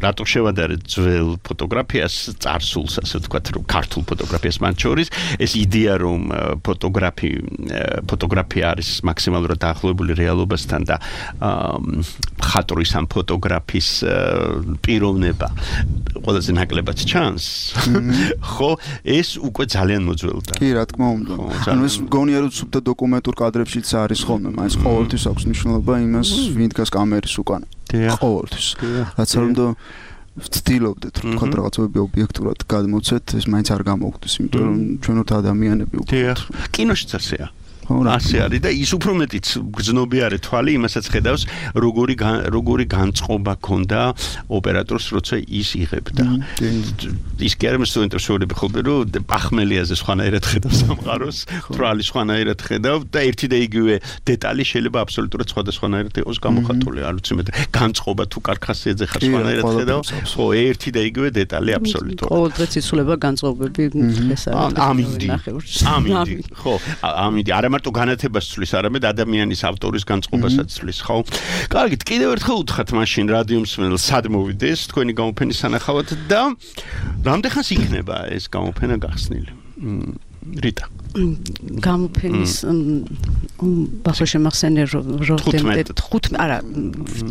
რატო შევადარეთ ძველ ფოტოგრაფიას წარსულს ასე ვთქვათ რომ ქართულ ფოტოგრაფიას მათ შორის ეს იდეა რომ ფოტოგრაფი ფოტოგრაფია არის მაქსიმალურად დაახლოებული რეალობასთან და მხატვრის ამ ფოტოგრაფის პიროვნება ყველაზე ნაკლებად ჩანს. ხო, ეს უკვე ძალიან მოძველდა. კი, რა თქმა უნდა. ანუ ეს მგონია რომ სუფთა დოკუმენტურ კადრებშიც არის ხოლმე, მაინც ყოველთვის აქვს მნიშვნელობა იმას, ვინ დგას კამერის უკან. ყოველთვის. რაც არ უნდა ვცდილობდეთ რომ თქვა რაღაცები ობიექტურად გადმოცეთ, ეს მაინც არ გამოგვდის, იმიტომ რომ ჩვენ ვართ ადამიანები უკვე. დიახ. კინოშიც ასეა. ასე არის და ის უფრო მეტიც გრძნობი არის თვალი იმასაც ხედავს როგორი როგორი განწყობა ქონდა ოპერატორს როცა ის იღებდა. ის კი არ მოსწონდა შორები ხოლმე რომ პახმელიაზე სხვანაირად ხედავ სამყაროს, თვალი სხვანაირად ხედავ და ერთი და იგივე დეტალი შეიძლება აბსოლუტურად სხვადასხვანაირად იყოს გამოხატული. არ ვიცი მე განწყობა თუ კარქასიაძე ხარ სხვანაირად ხედავ, ხო ერთი და იგივე დეტალი აბსოლუტურად. ყოველდღე იცვლება განწყობები ეს არის. ამინდი. ამინდი. ხო, ამინდი. არა მარტო განათებას ცვლის, არამედ ადამიანის ავტორის განწყობასაც ცვლის, ხო? კარგით, კიდევ ერთხელ უთხრათ მაშინ რადიო მსმენელს, სად მოვიდეს თქვენი გამოფენის სანახავად და რამდენხანს იქნება ეს გამოფენა გახსნილი? რიტა. გამოფენის ბახო შემახსენე როდემდე ხუთმეტ არა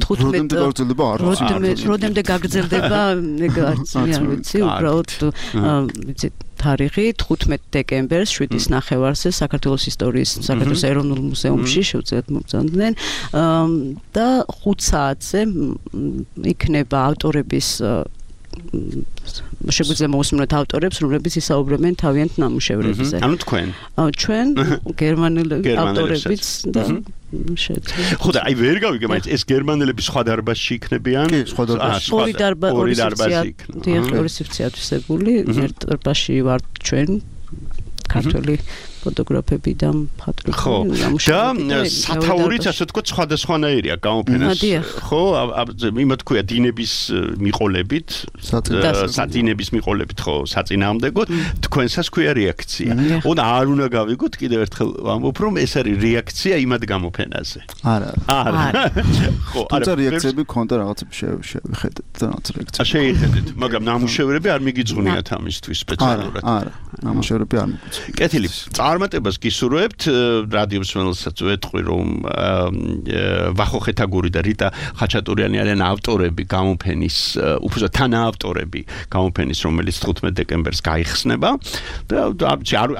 ხუთმეტ როდემდე გაგრძელდება ეგ არც მე არ ვიცი უბრალოდ ვიცი თარიღი თხუთმეტ დეკემბერს შვიდის ნახევარზე საქართველოს ისტორიის საქართველოს ეროვნულ მუზეუმში შევძლებთ მოგზავნდნენ და ხუთ საათზე იქნება ავტორების შეგვიძლია მოусმინოთ ავტორებს, რომლებიც ისაუბრებენ თავიანთ ნამუშევრებზე. ანუ თქვენ? ჩვენ გერმანელი ავტორებიც და შეძლება. ხო და აი ვერ გავიგე, მაინც ეს გერმანელები სხვა დარბაზში იქნებიან? კი, სხვა დარბაზში. ორი დარბაზი, ორი დარბაზი იქნება. ორი სივრცე ათვისებული, ერთ დარბაზში ვართ ჩვენ ქართველი ფოტოგრაფები და მხატვრები და სათაურიც ასე თქვა სხვადასხვანაირია გამოფენას ხო იმათ ქვია დინების მიყოლებით სადინების მიყოლებით ხო საწინააღმდეგოდ თქვენსაც ქვია რეაქცია უნდა არ უნდა გავიგოთ კიდევ ერთხელ ვამბობ რომ ეს არის რეაქცია იმათ გამოფენაზე არა არა ხო არა რეაქციები ქონდა რაღაცები შევხედეთ და რაღაც რეაქცია შეიხედეთ მაგრამ ნამუშევრები არ მიგიძღვნიათ ამისთვის სპეციალურად არა ნამუშევრები არ მიგიძღვნიათ კეთილი წარმატებას გისურვებთ რადიო მსმენელსაც ვეთყვი რომ ვახო ხეთაგური და რიტა ხაჩატურიანი არიან ავტორები გამოფენის უბრალოდ თანაავტორები გამოფენის რომელიც თხუთმეტ დეკემბერს გაიხსნება და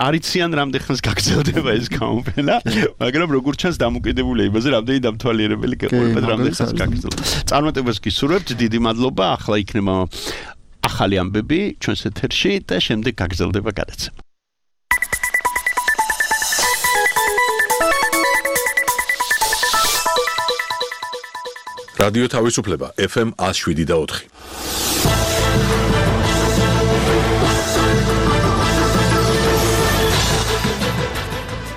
არიციან რამდენხანს გაგრძელდება ეს გამოფენა მაგრამ როგორც ჩანს დამოკიდებულია იმაზე რამდენი დამთვალიერებელი გეყოლება და რამდენხანს გაგრძელდება წარმატებას გისურვებთ დიდი მადლობა ახლა იქნება ახალი ამბები ჩვენს ეთერში და შემდეგ გაგრძელდება გადაცემა რადიო თავისუფლება ეფ ემ one oh seven და four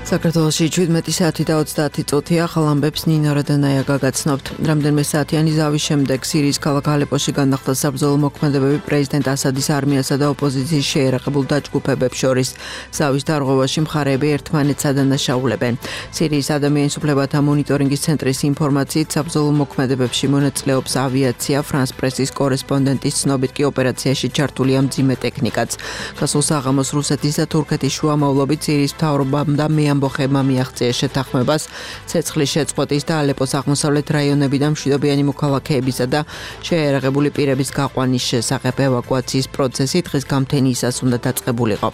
საქართველოში შვიდმეტი საათი და ოცდაათი წუთი ახალ ამბებს ნინო რადანაია გაგაცნობთ. რამდენიმე საათიანი ზავის შემდეგ სირიის ქალაქ ალეპოში განახლდა საბრძოლო მოქმედებები პრეზიდენტ ასადის არმიასა და ოპოზიციის შეერაყებულ დაჯგუფებებს შორის. ზავის დარღვევაში მხარეები ერთმანეთს ადანაშაულებენ. სირიის ადამიანის უფლებათა მონიტორინგის ცენტრის ინფორმაციით საბრძოლო მოქმედებებში მონაწილეობს ავიაცია, ფრანს პრესის კორესპონდენტის ცნობით კი ოპერაციაში ჩართულია მძიმე ტექნიკაც. გასულ საღამოს რუსეთის და თურქეთის შუამავლობით სირიის მთავრობამ და ამბოხებმა მიაღწიეს შეთანხმებას ცეცხლის შეწყვეტის და ალეპოს აღმოსავლეთ რაიონებიდან მშვიდობიანი მოქალაქეებისა და შეიარაღებული პირების გაყვანის შესახებ. ევაკუაციის პროცესი დღის გამთენიისას უნდა დაწყებულიყო.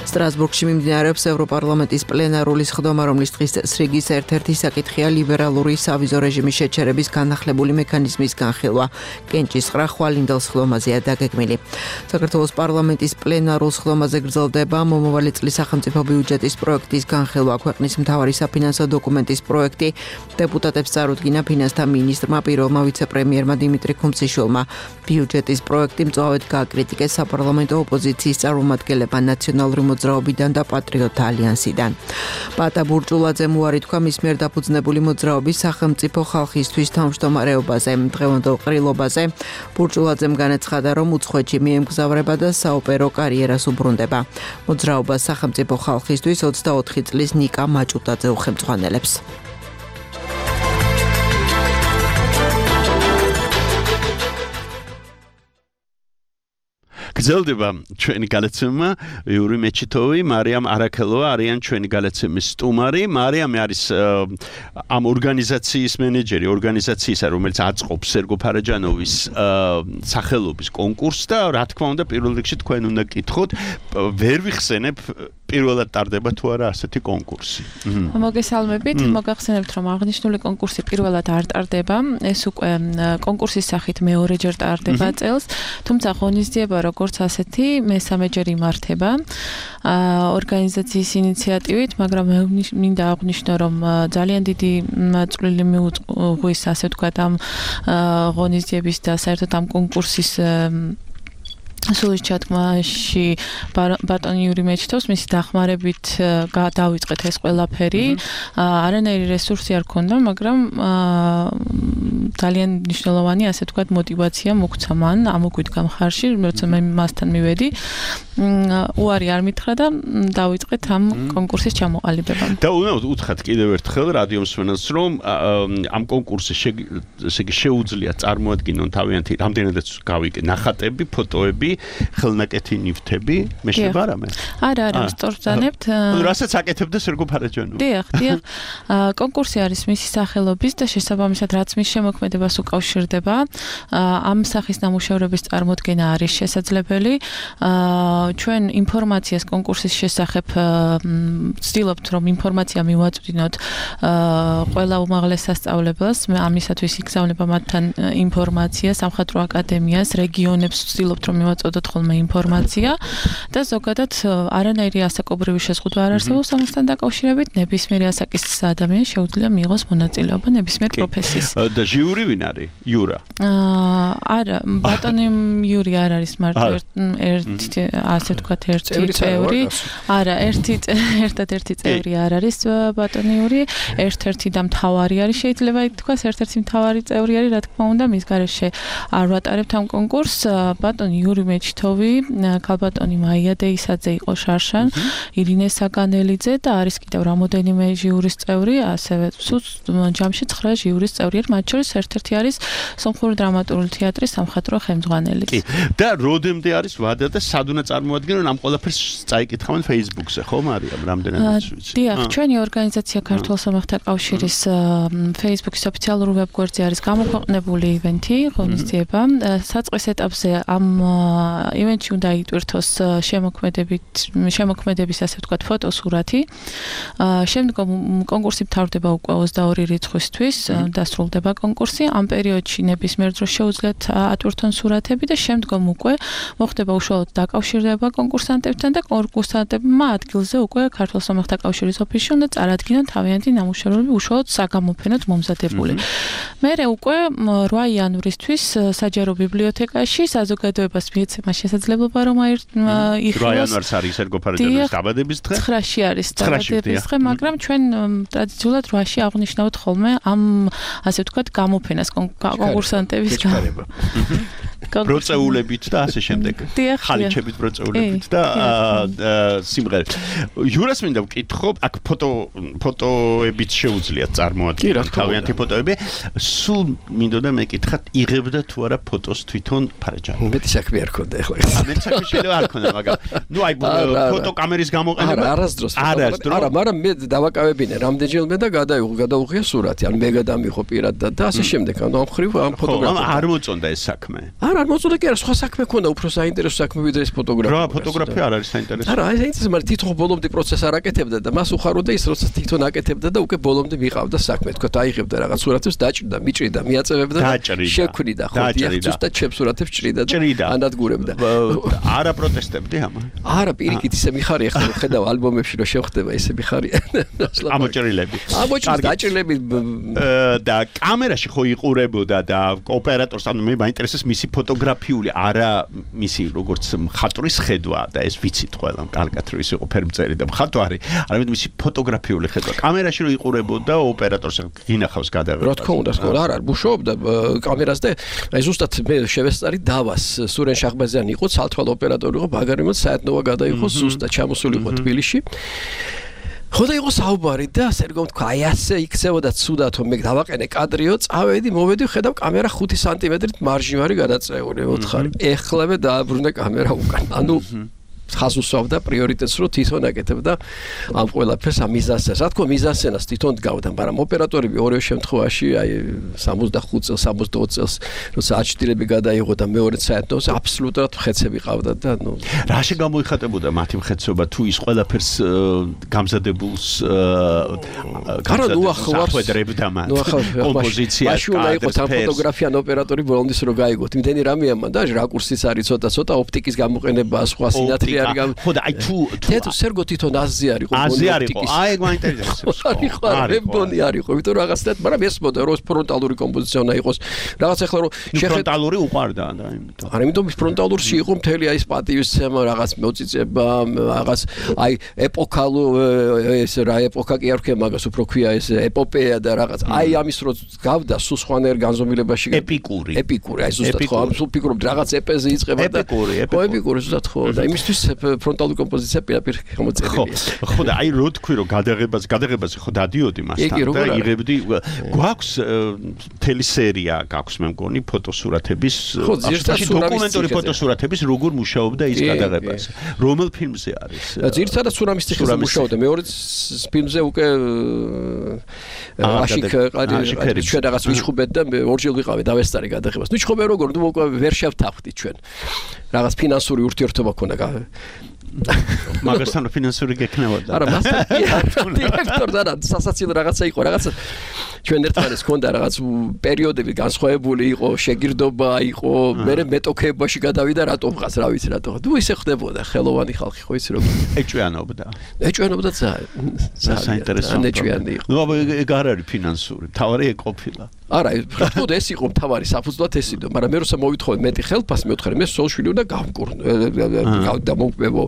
სტრასბურგში მიმდინარეობს ევროპარლამენტის პლენარული სხდომა, რომლის დღის წესრიგის ერთ-ერთი საკითხია ლიბერალური სავიზო რეჟიმის შეჩერების განახლებული მექანიზმის განხილვა. კენჭისყრა ხვალინდელ სხდომაზეა დაგეგმილი. საქართველოს პარლამენტის პლენარულ სხდომაზე გრძელდება მომავალი წლის სახელმწიფო ბიუჯეტის პროექტის განხილვა. ქვეყნის მთავარი საფინანსო დოკუმენტის პროექტი დეპუტატებს წარუდგინა ფინანსთა მინისტრმა პირველმა ვიცე-პრემიერმა დიმიტრი ქუმციშვილმა. ბიუჯეტის პროექტი მწვავედ გააკრიტიკეს საპარლამენტო ოპოზიციის წარმომადგენლებმა ნაციონალური მოძრაობიდან და პატრიოტთა ალიანსიდან. პატა ბურჭულაძემ უარი თქვა მის მიერ დაფუძნებული მოძრაობის სახელმწიფო ხალხისთვის თავმჯდომარეობაზე. დღევანდელ ყრილობაზე ბურჭულაძემ განაცხადა, რომ უცხოეთში მიემგზავრება და საოპერო კარიერას უბრუნდება. მოძრაობას სახელმწიფო ხალხისთვის ოცდაოთხი წლის ნიკა მაჭუტაძე უხელმძღვანელებს. გრძელდება ჩვენი გადაცემა. იური მეჩითოვი, მარიამ არაქელოვა არიან ჩვენი გადაცემის სტუმარი. მარიამი არის ამ ორგანიზაციის მენეჯერი, ორგანიზაციისა, რომელიც აწყობს სერგო ფარაჯანოვის სახელობის კონკურსს და რა თქმა უნდა, პირველ რიგში თქვენ უნდა გკითხოთ, ვერ ვიხსენებ პირველად ტარდება თუ არა ასეთი კონკურსი. მოგესალმებით, მოგახსენებთ, რომ აღნიშნული კონკურსი პირველად არ ტარდება. ეს უკვე კონკურსის სახით მეორეჯერ ტარდება წელს, თუმცა ღონისძიება როგორც ასეთი მესამეჯერ იმართება ორგანიზაციის ინიციატივით, მაგრამ მე მინდა აღვნიშნო, რომ ძალიან დიდი წვლილი მიუძღვის, ასე ვთქვათ, ამ ღონისძიების და საერთოდ ამ კონკურსის სულის ჩათქმაში ბატონი იური მეჩითოვს მისი დახმარებით დავიწყეთ ეს ყველაფერი. არანაირი რესურსი არ ქონდა, მაგრამ ძალიან მნიშვნელოვანი, ასე ვთქვათ, мотиваცია მოგვცა მან ამოგვიდგა მხარში, როცა მე მასთან მივედი. უარი არ მითხრა და დავიწყეთ ამ კონკურსის ჩამოყალიბება. და უნდა უთხრათ კიდევ ერთხელ რადიო მსმენელს, რომ ამ კონკურსის ესე იგი შეუძლია წარმოადგინონ თავიანთი რამდენადაც გავიგე ნახატები, ფოტოები, ხელნაკეთი ნივთები, მეშება რამე? არა, არა, სწორბრძანებთ. რასაც აკეთებდა სერგო ფარაჯანოვი. დიახ, დიახ. კონკურსი არის მისი სახელობის და შესაბამისად რაც მის შემოქმედებას უკავშირდება, ამ სახის ნამუშევრების წარმოდგენა არის შესაძლებელი. ჩვენ ინფორმაციას კონკურსის შესახებ ვცდილობთ, რომ ინფორმაცია მივაწვდინოთ ყველა უმაღლეს სასწავლებლებს, ამისათვის იგზავნება მათთან ინფორმაცია სამხატვრო აკადემიას, რეგიონებს ვცდილობთ, რომ მივაწვდოთ ხოლმე ინფორმაცია და ზოგადად არანაირი ასაკობრივი შეზღუდვა არ არსებობს ამასთან დაკავშირებით, ნებისმიერი ასაკის ადამიანი შეუძლია მიიღოს მონაწილეობა ნებისმიერ პროფესიის. და ჟიური ვინ არის? იურა. არა, ბატონი იური არ არის მარტო ერთი ასე ვთქვათ ერთი წევრი. არა, ერთი ერთადერთი წევრი არ არის ბატონი იური, ერთ-ერთი და მთავარი არის, შეიძლება ითქვას, ერთ-ერთი მთავარი წევრი არის, რა თქმა უნდა, მის გარეშე არ ვატარებთ ამ კონკურსს. ბატონი იური მეჩითოვი, ქალბატონი მაია დეისაძე იყო შარშან, ირინე საგანელიძე და არის კიდევ რამოდენიმე ჟიურის წევრი, ასევე ჯამში ცხრა ჟიურის წევრი, მათ შორის ერთ-ერთი არის სომხური დრამატული თეატრის სამხატვრო ხელმძღვანელი. კი. და როდემდე არის ვადა და სად უნდა წარმოადგინონ ამ ყველაფერს წაიკითხავენ Facebook-ზე, ხო, მარიამ, რამდენადაც ვიცი. დიახ, ჩვენი ორგანიზაცია ქართულ სამხთა კავშირის Facebook-ის ოფიციალურ ვებგვერდზე არის გამოქვეყნებული ივენთი, ღონისძიება. საწყის ეტაპზე ამ ივენთში უნდა იტვირთოს შემოქმედებით, შემოქმედების, ასე ვთქვათ, ფოტოსურათი. შემდგომ კონკურსი მთავრდება უკვე ოცდაორი რიცხვისთვის, დასრულდება კონკურსი. ამ პერიოდში ნებისმიერ დროს შეუძლიათ ატვირთონ სურათები და შემდგომ უკვე მოხდება უშუალოდ დაკავშირება კონკურსანტებთან და კონკურსანტებმა ადგილზე უკვე ქართულ სამხთა კავშირის ოფისში უნდა წარადგინონ თავიანთი ნამუშევრები უშუალოდ საგამოფენოდ მომზადებული. მერე უკვე რვა იანვრისთვის საჯარო ბიბლიოთეკაში საზოგადოებას მიეცემა შესაძლებლობა რომ იხილოს. რვა იანვარს არის სერგო ფარაჯანოვის დაბადების დღე? ცხრაში არის დაბადების დღე, მაგრამ ჩვენ ტრადიციულად რვაში აღნიშნავთ ხოლმე ამ ასე ვთქვათ გამოფენას კონკურსანტების. ბროწეულებით და ასე შემდეგ. ხალიჩებით ბროწეულებით და სიმღერით. იურას მინდა ვკითხო, აქ ფოტო ფოტოებით შეუძლიათ წარმოადგინოთ თავიანთი ფოტოები. სულ მინდოდა მეკითხათ, იღებდა თუ არა ფოტოს თვითონ ფარაჯანი. მეტი საქმე არ ქონდა ახლა. ამეთ საქმე შეიძლება არ ქონდა, მაგრამ ნუ აი ფოტოკამერის გამოყენება არასდროს. არა, მაგრამ მე დავაკავებინე რამდენჯერმე და გადაიღო, გადაუღია სურათი, ან მე გადამიღო პირად და ასე შემდეგ. ანუ ამ ხრივ ამ ფოტოგრაფია. არ მოწონდა ეს საქმე. არა, არ მოწონდა კი არა, სხვა საქმე ქონდა, უფრო საინტერესო საქმე ვიდრე ეს ფოტოგრაფია. რა, ფოტოგრაფია არ არის საინტერესო. არა, აი საინტერესო, მაგრამ თვითონ ბოლომდე პროცესს არ აკეთებდა და მას უხაროდა ის, როცა თვითონ აკეთებდა და უკვე ბოლომდე მიყავდა საქმე. თქვა, აიღებდა რაღაც სურათებს, დაჭრდა, მიჭრიდა, მიაწევებდა და შექმნიდა, ხო, დიახ, ზუსტად ჩემ სურათებს ჭრიდა და ანადგურებდა. არა პროტესტებდი ამან. არა, პირიქით ისე მიხარია, ხო, ხედავ ალბომებში რომ შევხვდება ისე მიხარია. ამოჭრილები. ამოჭრილი დაჭრილები და კამერაში ხო იყურებოდა და ოპერატორს, ანუ მე მაინტერესებს მისი ფოტოგრაფიული, არა მისი როგორც მხატვრის ხედვა და ეს ვიცით ყველამ კარგად რომ ის იყო ფერმწერი და მხატვარი, არამედ მისი ფოტოგრაფიული ხედვა. კამერაში რო იყურებოდა ოპერატორს გინახავს გადაღებას. რა თქმა უნდა, რა არა, მუშაობდა კამერას და აი ზუსტად მე შევესწარი დავას სურენ შახბაზიანი იყო, ცალთვალ ოპერატორი იყო, ბაგარიმოთ საერთნოა გადაიღო ზუსტად ჩამოსული იყო თბილისში. ხო და იყო საუბარი და ასე რომ თქვა, აი ასე იქცევოდა ცუდად, რომ მე დავაყენე კადრიო, წავედი, მოვედი, ხედავ კამერა ხუთი სანტიმეტრით მარჟიმარი გადაწეული, ოთხარი. ეხლავე დააბრუნე კამერა უკან. ანუ ხაზს უსვამდა პრიორიტეტს, რომ თვითონ აკეთებდა ამ ყველაფერს, ამ მიზანსცენას. რა თქმა, მიზანსცენას თვითონ გავდა, მაგრამ ოპერატორები ორივე შემთხვევაში, აი სამოცდახუთ წელს, სამოცდაოთხ წელს, როცა აჩtildeები გადაიღო და მეორე საერთოდ აბსოლუტურად მხეცები ყავდა და ნუ რა შეგამოიხატებოდა მათი მხეცობა თუ ის ყველაფერს გამზადებულს არა ნუ ახლა მათ კომპოზიცია მაშინ უნდა იყოს ამ ფოტოგრაფიან ოპერატორი ბოლომდის რო გაიგოთ. იმდენი რამეა მან და რაკურსიც არის ცოტა ცოტა ოპტიკის გამოყენება, სხვა სინათლე ხო და აი თუ თეთრ სერგო თვითონ აზი არის ხო აზი არის ხო აი ეგ მაინტერესებს არის ხო რებონი არის ხო იმიტომ რომ რაღაცნაირად მაგრამ ეს მოდა რომ ფრონტალური კომპოზიცია უნდა იყოს რაღაც ახლა რომ ფრონტალური უყარდა და იმიტომ არა იმიტომ ის ფრონტალურში იყო მთელი აი ეს პატივისცემა რაღაც მოწიწება რაღაც აი ეპოქალო ეს რა ეპოქა კი არ ვქე მაგას უფრო ქვია ეს ეპოპეა და რაღაც აი ამის რო გავდა სულ სხვანაირ განზომილებაში ეპიკური ეპიკური აი ზუსტად ხო ამ სულ ფიქრობ რაღაც ეპეზე იწყება და ეპიკური ეპიკური ზუსტად ხო და იმისთვის ფრონტალური კომპოზიცია პირაპირ გამოწერილია. ხო და აი რო თქვი რომ გადაღებას გადაღებაზე ხო დადიოდი მასთან და იღებდი გვაქვს მთელი სერია გაქვს მე მგონი ფოტოსურათების დოკუმენტური ფოტოსურათების როგორ მუშაობდა ის გადაღებაზე. რომელ ფილმზე არის? ძირითადად სურამის ციხეზე მუშაობდა. მეორე ფილმზე უკვე აშიქ ყარი ჩვენ რაღაც ვიჩხუბეთ და ორჯერ ვიყავე დავესწარი გადაღებას. ნუ ჩხუბე როგორ ნუ უკვე ვერ შევთანხმდით ჩვენ. რაღაც ფინანსური ურთიერთობა ქონდა მაგასთან ფინანსური გეკნევოდა. არა, მასთან დირექტორ და სასაცილო რაღაცა იყო, რაღაცა ჩვენ ერთმანეთს ქონდა რაღაც პერიოდები განსხვავებული იყო, შეგირდობა იყო, მე მეტოქეებაში გადავიდა რატომ ხას, რა ვიცი რატომ. თუ ისე ხდებოდა ხელოვანი ხალხი ხო იცი რომ ეჭვიანობდა. ეჭვიანობდა ძალიან. საინტერესო. ეჭვიანი იყო. ნუ ეგ არ არის ფინანსური, თავარი ეგ ყოფილა. არა, რა ეს იყო თავარი საფუძვლად ეს იყო, მაგრამ მე როცა მოვითხოვე მეტი ხელფასი, მე ვთხარი, მე სოლშვილი უნდა გავმკურნო, დავმოვებო.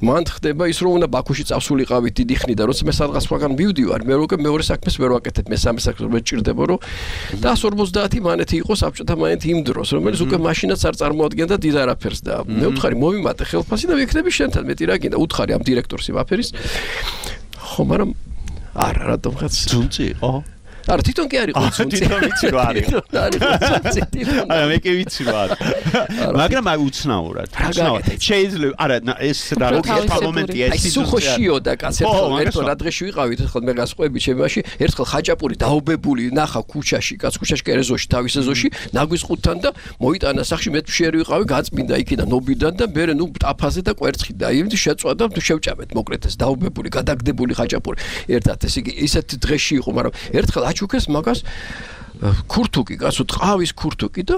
მან ხდება ის რომ უნდა ბაქოში წავსულიყავით დიდი ხნით და როცა მე სადღაც სხვაგან მივდივარ, მე უკვე მეორე საქმეს ვერ ვაკეთებ, მესამე საქმეს მე ჭირდება რომ და ორმოცდაათი მანეთი იყო საბჭოთა მანეთი იმ დროს, რომელიც უკვე მაშინაც არ წარმოადგენდა დიდ არაფერს და მე ვთხარი მომიმატე ხელფასი და ვიქნები შენთან მეტი რა გინდა, უთხარი ამ დირექტორს იმაფერის. ხო, მაგრამ არა, რატომღაც ძუნწი იყო. არა თვითონ კი არის ყურძუნწი. თვითონ ვიცი რომ არის. არა მე კი ვიცი რომ არის. მაგრამ აი უცნაურად. უცნაურად. შეიძლება არა ეს რა როკეტა მომენტია ეს ის სუხოშიო და კაცი ერთო რა დღეში ვიყავით ერთხელ მე გასყვები ჩემაში ერთხელ ხაჭაპური დაობებული ნახა ქუჩაში კაც ქუჩაში კერეზოში თავის ეზოში ნაგვის ყუთთან და მოიტანა სახში მე შეერი ვიყავი გაწმინდა იქიდან ნობიდან და მე ნუ ტაფაზე და კვერცხი და იმით შეწვა და შევჭამეთ მოკლედ ეს დაობებული გადაგდებული ხაჭაპური ერთად ეს იგი ისეთ დღეში იყო მაგრამ ერთხელ აჩუქეს მაგას ქურთუკი, კაცო, ტყავის ქურთუკი და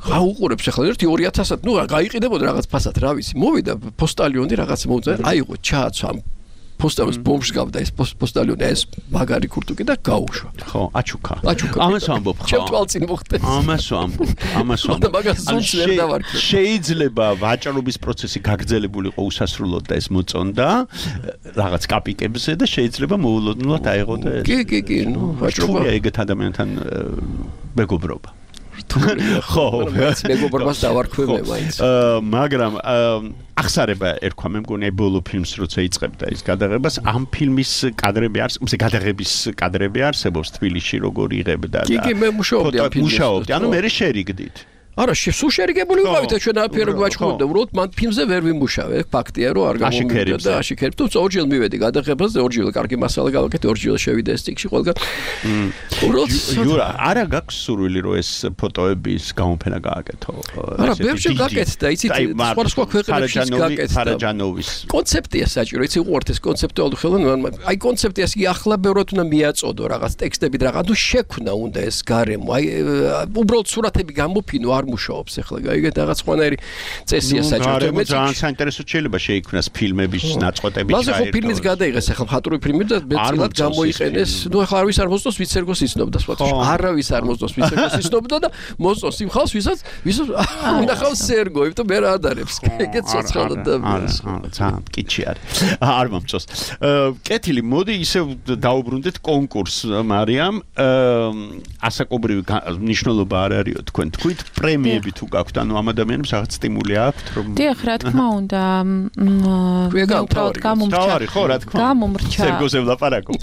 გაუყურებს ახლა ერთი ორი ათასად, ნუ გაიყიდებოდა რაღაც ფასად, რა ვიცი. მოვიდა პოსტალიონი რაღაც მოუწა, აიღო ჩააცვა პოსტალიონს ბომბს გავდა ეს პოსტალიონი ეს მაგარი ქურთუკი და გაუშვა. ხო, აჩუქა. აჩუქა. ამას ვამბობ ხო? ჩემ თვალწინ მოხდეს. ამას ვამბობ, ამას ვამბობ. მაგას ზუსტ ვერ დავარქვა. შეიძლება ვაჭრობის პროცესი გაგრძელებულიყო უსასრულოდ და ეს მოწონდა რაღაც კაპიკებზე და შეიძლება მოულოდნელად აიღო და ეს. კი, კი, კი, ნუ ვაჭრობა ეგეთ ადამიანთან მეგობრობა. ხო, მეგობრობას დავარქვევე მაინც. მაგრამ ახსარება ერქვა მე მგონი ბოლო ფილმს როცა იწყებდა ის გადაღებას ამ ფილმის კადრები არსებობს გადაღების კადრები არსებობს თბილისში როგორ იღებდა და კი კი მე მუშაობდი ამ ფილმში მუშაობდი ანუ მე შერიგდით არა სულ შერიგებული ვიყავით ჩვენ აფერები ვაჩხუბდა უბრალოდ მან ფილმზე ვერ ვიმუშავე ფაქტია რომ არ გამომივიდა და აშიქერებ თუ ორჯერ მივედი გადაღებაზე ორჯერ კარგი მასალა გავაკეთე ორჯერ შევიდა ეს ტიქში ყველგან უბრალოდ იურა არა გაქვს სურვილი რომ ეს ფოტოების გამოფენა გააკეთო არა ბევრჯერ გაკეთდა იცით სხვა სხვა ქვეყნებში გაკეთდა ფარაჯანოვის კონცეფტია საჭირო იცი უყურთ ეს კონცეპტუალური ხელოვნება აი კონცეფტიას კი ახლა ბევრად უნდა მიაწოდო რაღაც ტექსტები რაღაც თუ შექმნა უნდა ეს გარემო აი უბრალოდ სურათები გამოფინო არ მუშაობს ახლა გაიგეთ რაღაც ხვანაირი წესია საჭირო მე ძალიან საინტერესო შეიძლება შეიქმნას ფილმების ნაწყვეტები ჩაერთო. ლაზერ ხო ფილმიც გადაიღეს ახლა მხატვრული ფილმი და მეცილად გამოიყენეს. ნუ ახლა არავის არ მოსწონს ვიც ერგოს იცნობდა სხვათა. არავის არ მოსწონს ვიც ერგოს იცნობდა და მოსწონს იმ ხალხს ვისაც ვისაც უნდა ხავს სერგო, იმიტომ მე რა ადარებს. ეგეც ცოცხალად და ძალიან კიჩი არის. არ მომწონს. კეთილი მოდი ისე დაუბრუნდეთ კონკურსს მარიამ. ასაკობრივი მნიშვნელობა არ არისო თქვენ თქვით პრემიები თუ გაქვთ, ანუ ამ ადამიანებს რაღაც სტიმული აქვთ, რომ დიახ, რა თქმა უნდა, უბრალოდ გამომრჩა. ხო, რა თქმა უნდა. გამომრჩა. სერგოზე ვლაპარაკობ.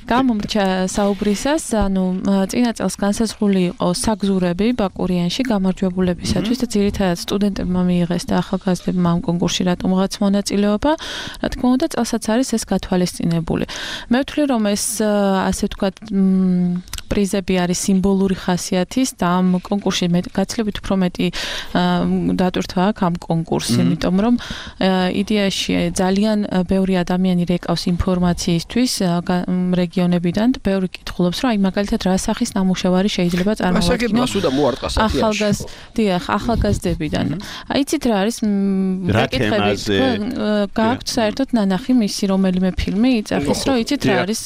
გამომრჩა საუბრისას, ანუ წინა წელს განსაზღვრული იყო საგზურები ბაკურიანში გამარჯვებულებისათვის და ძირითადად სტუდენტებმა მიიღეს და ახალგაზრდებმა ამ კონკურსში რატომღაც მონაწილეობა. რა თქმა უნდა, წელსაც არის ეს გათვალისწინებული. მე ვთვლი, რომ ეს ასე ვთქვათ, პრიზები არის სიმბოლური ხასიათის და ამ კონკურსში მე გაცილებით უფრო მეტი დატვირთვა აქვს ამ კონკურსს, იმიტომ რომ იდეაში ძალიან ბევრი ადამიანი რეკავს ინფორმაციისთვის რეგიონებიდან და ბევრი კითხულობს, რომ აი მაგალითად რა სახის ნამუშევარი შეიძლება წარმოვადგინოს ახალგაზრდები, ახალგაზრდებიდან. აი იცით რა არის რაკითხები გაქვთ საერთოდ ნანახი მისი რომელიმე ფილმი იწახის, რომ იცით რა არის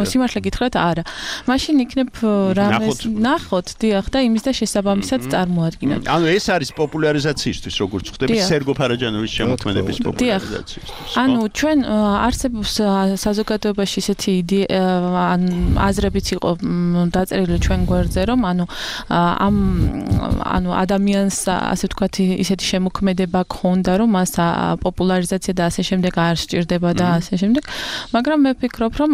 სიმართლე გითხრათ არა. მაშინ იქნებ რამეს ნახოთ, დიახ და იმის და შესაბამისად წარმოადგინოთ. ანუ ეს არის პოპულარიზაციისთვის, როგორც ხვდები, სერგო ფარაჯანოვის შემოქმედების პოპულარიზაციისთვის. ანუ ჩვენ არსებობს საზოგადოებაში ისეთი აზრებიც იყო დაწერილი ჩვენ გვერდზე, რომ ანუ ამ ანუ ადამიანს ასე ვთქვათ ისეთი შემოქმედება ქონდა, რომ მას პოპულარიზაცია და ასე შემდეგ არ სჭირდება და ასე შემდეგ, მაგრამ მე ვფიქრობ, რომ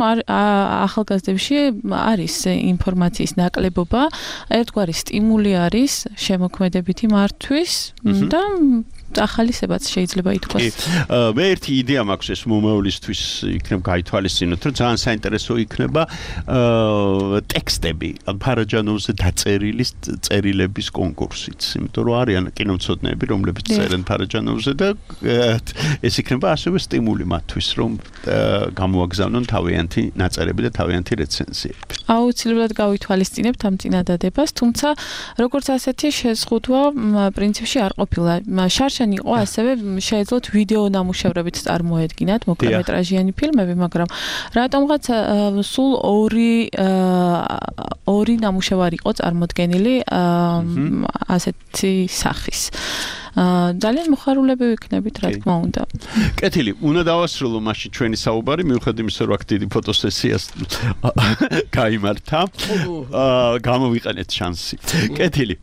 ახალგაზრდებში არის ინფორმაციის ნაკლებობა, ერთგვარი სტიმული არის შემოქმედებითი მართვის და ახალისებაც შეიძლება ითქვას. მე ერთი იდეა მაქვს ეს მომავლისთვის იქნებ გაითვალისწინოთ, რომ ძალიან საინტერესო იქნება ტექსტები, ფარაჯანოვზე დაწერილი წერილების კონკურსიც, იმიტომ რომ არიან კინომცოდნეები, რომლებიც წერენ ფარაჯანოვზე და ეს იქნება ასევე სტიმული მათთვის, რომ გამოაგზავნონ თავიანთი ნაწერები და თავიანთი რეცენზიები. აუცილებლად გავითვალისწინებთ ამ წინადადებას, თუმცა როგორც ასეთი შეზღუდვა პრინციპში არ ყოფილა. შარშან იყო ასევე შეეძლოთ ვიდეო ნამუშევრებით წარმოედგინათ მოკლემეტრაჟიანი ფილმები, მაგრამ რატომღაც სულ ორი ორი ნამუშევარი იყო წარმოდგენილი ასეთი სახის. ძალიან მოხარულები ვიქნებით, რა თქმა უნდა. კეთილი, უნდა დავასრულო მაშინ ჩვენი საუბარი, მიუხედავად იმისა, რომ აქ დიდი ფოტოსესიას გაიმართა. გამოვიყენეთ შანსი. კეთილი.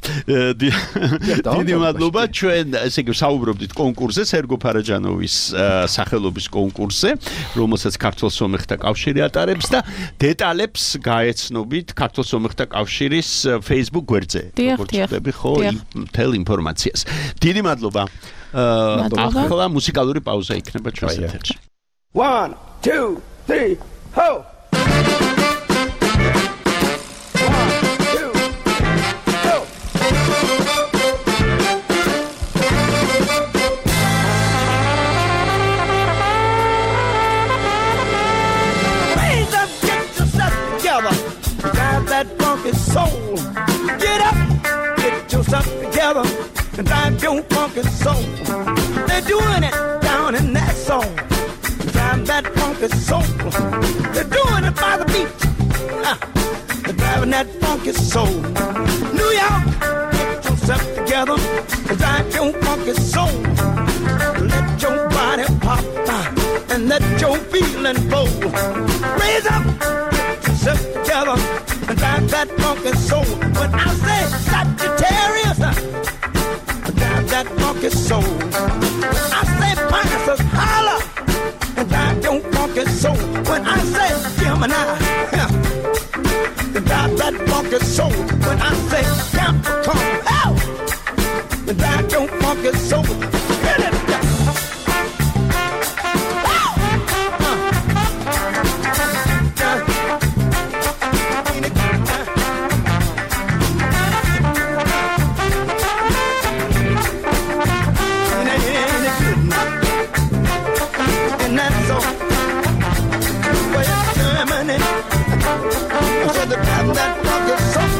დიდი მადლობა, ჩვენ ესე იგი საუბრობდით კონკურსზე, სერგო ფარაჯანოვის სახელობის კონკურსზე, რომელსაც ქართულ სომეხთა კავშირი ატარებს და დეტალებს გაეცნობით ქართულ სომეხთა კავშირის Facebook გვერდზე. როგორც ხდები ხო, მთელ ინფორმაციას. დიდი მადლობა. ახლა მუსიკალური პაუზა იქნება ჩვენს ეთერში. one two three ho soul. Get up, get yourself together, and drive your funky soul. They're doing it down in that soul. Drive that funky soul. They're doing it by the beach. Uh, they're driving that funky soul. New York, get yourself together, and drive your funky soul. Let your body pop uh, and let your feeling flow. Raise up, get yourself together, and drive that that funky soul. When I say Sagittarius, drive that funky soul. When I say Pisces, holla, drive your funky soul. When I say Gemini, drive that funky soul. When I say Capricorn, hell, drive your funky soul. Get it down. That funky soul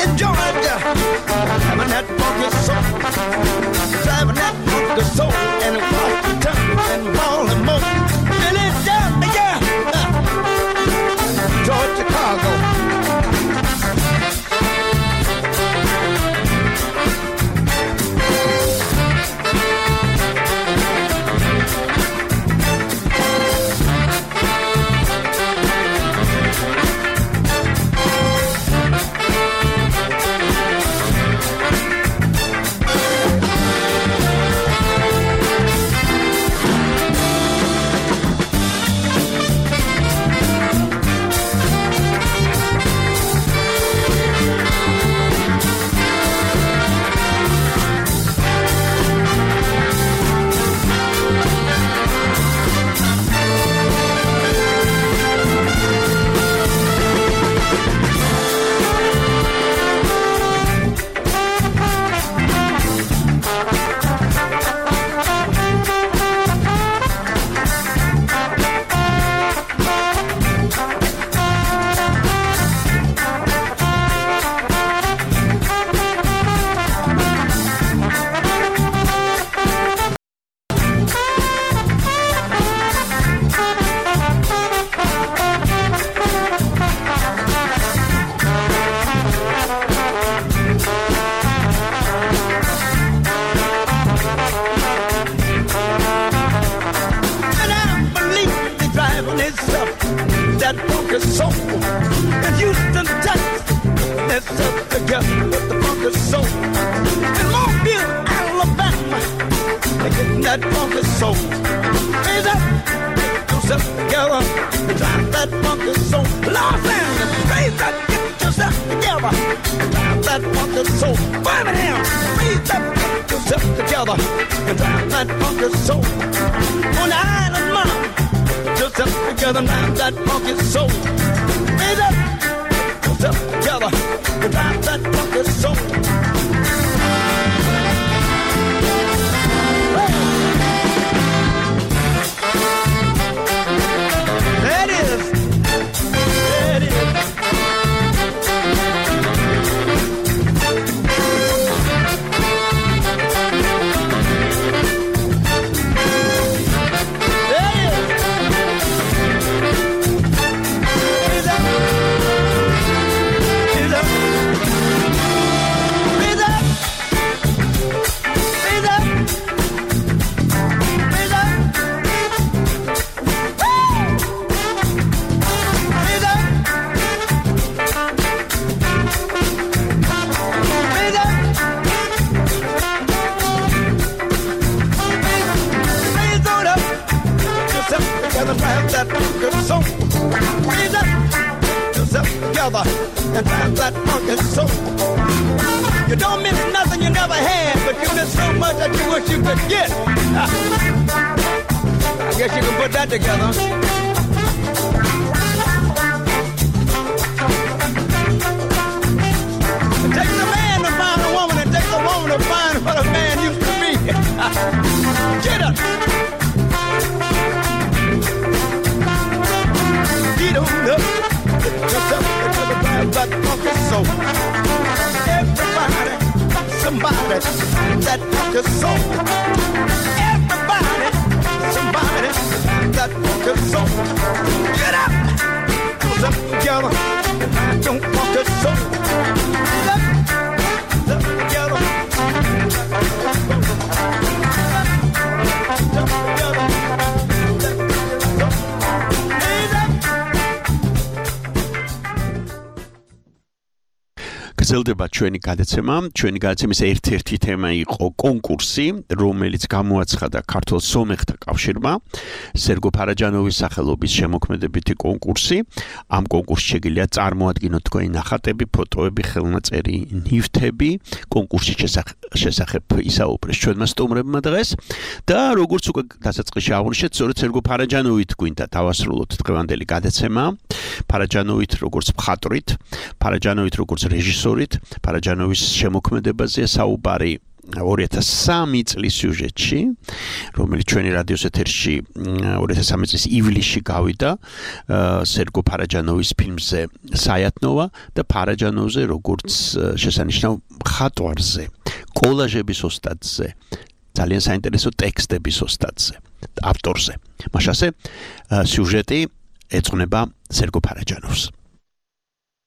in Georgia, having that funky soul, driving that funky soul in Washington and Baltimore, Philadelphia, Georgia, Chicago. გრძელდება ჩვენი გადაცემა. ჩვენი გადაცემის ერთ-ერთი თემა იყო კონკურსი, რომელიც გამოაცხადა ქართულ სომეხთა კავშირმა. სერგო ფარაჯანოვის სახელობის შემოქმედებითი კონკურსი. ამ კონკურსში შეგიძლია წარმოადგინოთ თქვენი ნახატები, ფოტოები, ხელნაწერი, ნივთები. კონკურსის შესახებ ისაუბრეს ჩვენმა სტუმრებმა დღეს და როგორც უკვე დასაწყისში აღვნიშნეთ, სწორედ სერგო ფარაჯანოვით გვინდა დავასრულოთ დღევანდელი გადაცემა. ფარაჯანოვით როგორც მხატვრით, ფარაჯანოვით როგორც რეჟისორით, ფარაჯანოვის შემოქმედებაზე საუბარი ორი ათას სამი წლის სიუჟეტში, რომელიც ჩვენი რადიოს ეთერში ორი ათას სამი წლის ივლისში გავიდა, სერგო ფარაჯანოვის ფილმზე საიათნოვა და ფარაჯანოვზე როგორც შესანიშნავ მხატვარზე, კოლაჟების ოსტატზე, ძალიან საინტერესო ტექსტების ოსტატზე, ავტორზე. მაშასე სიუჟეტი ეძღვნება სერგო ფარაჯანოვს.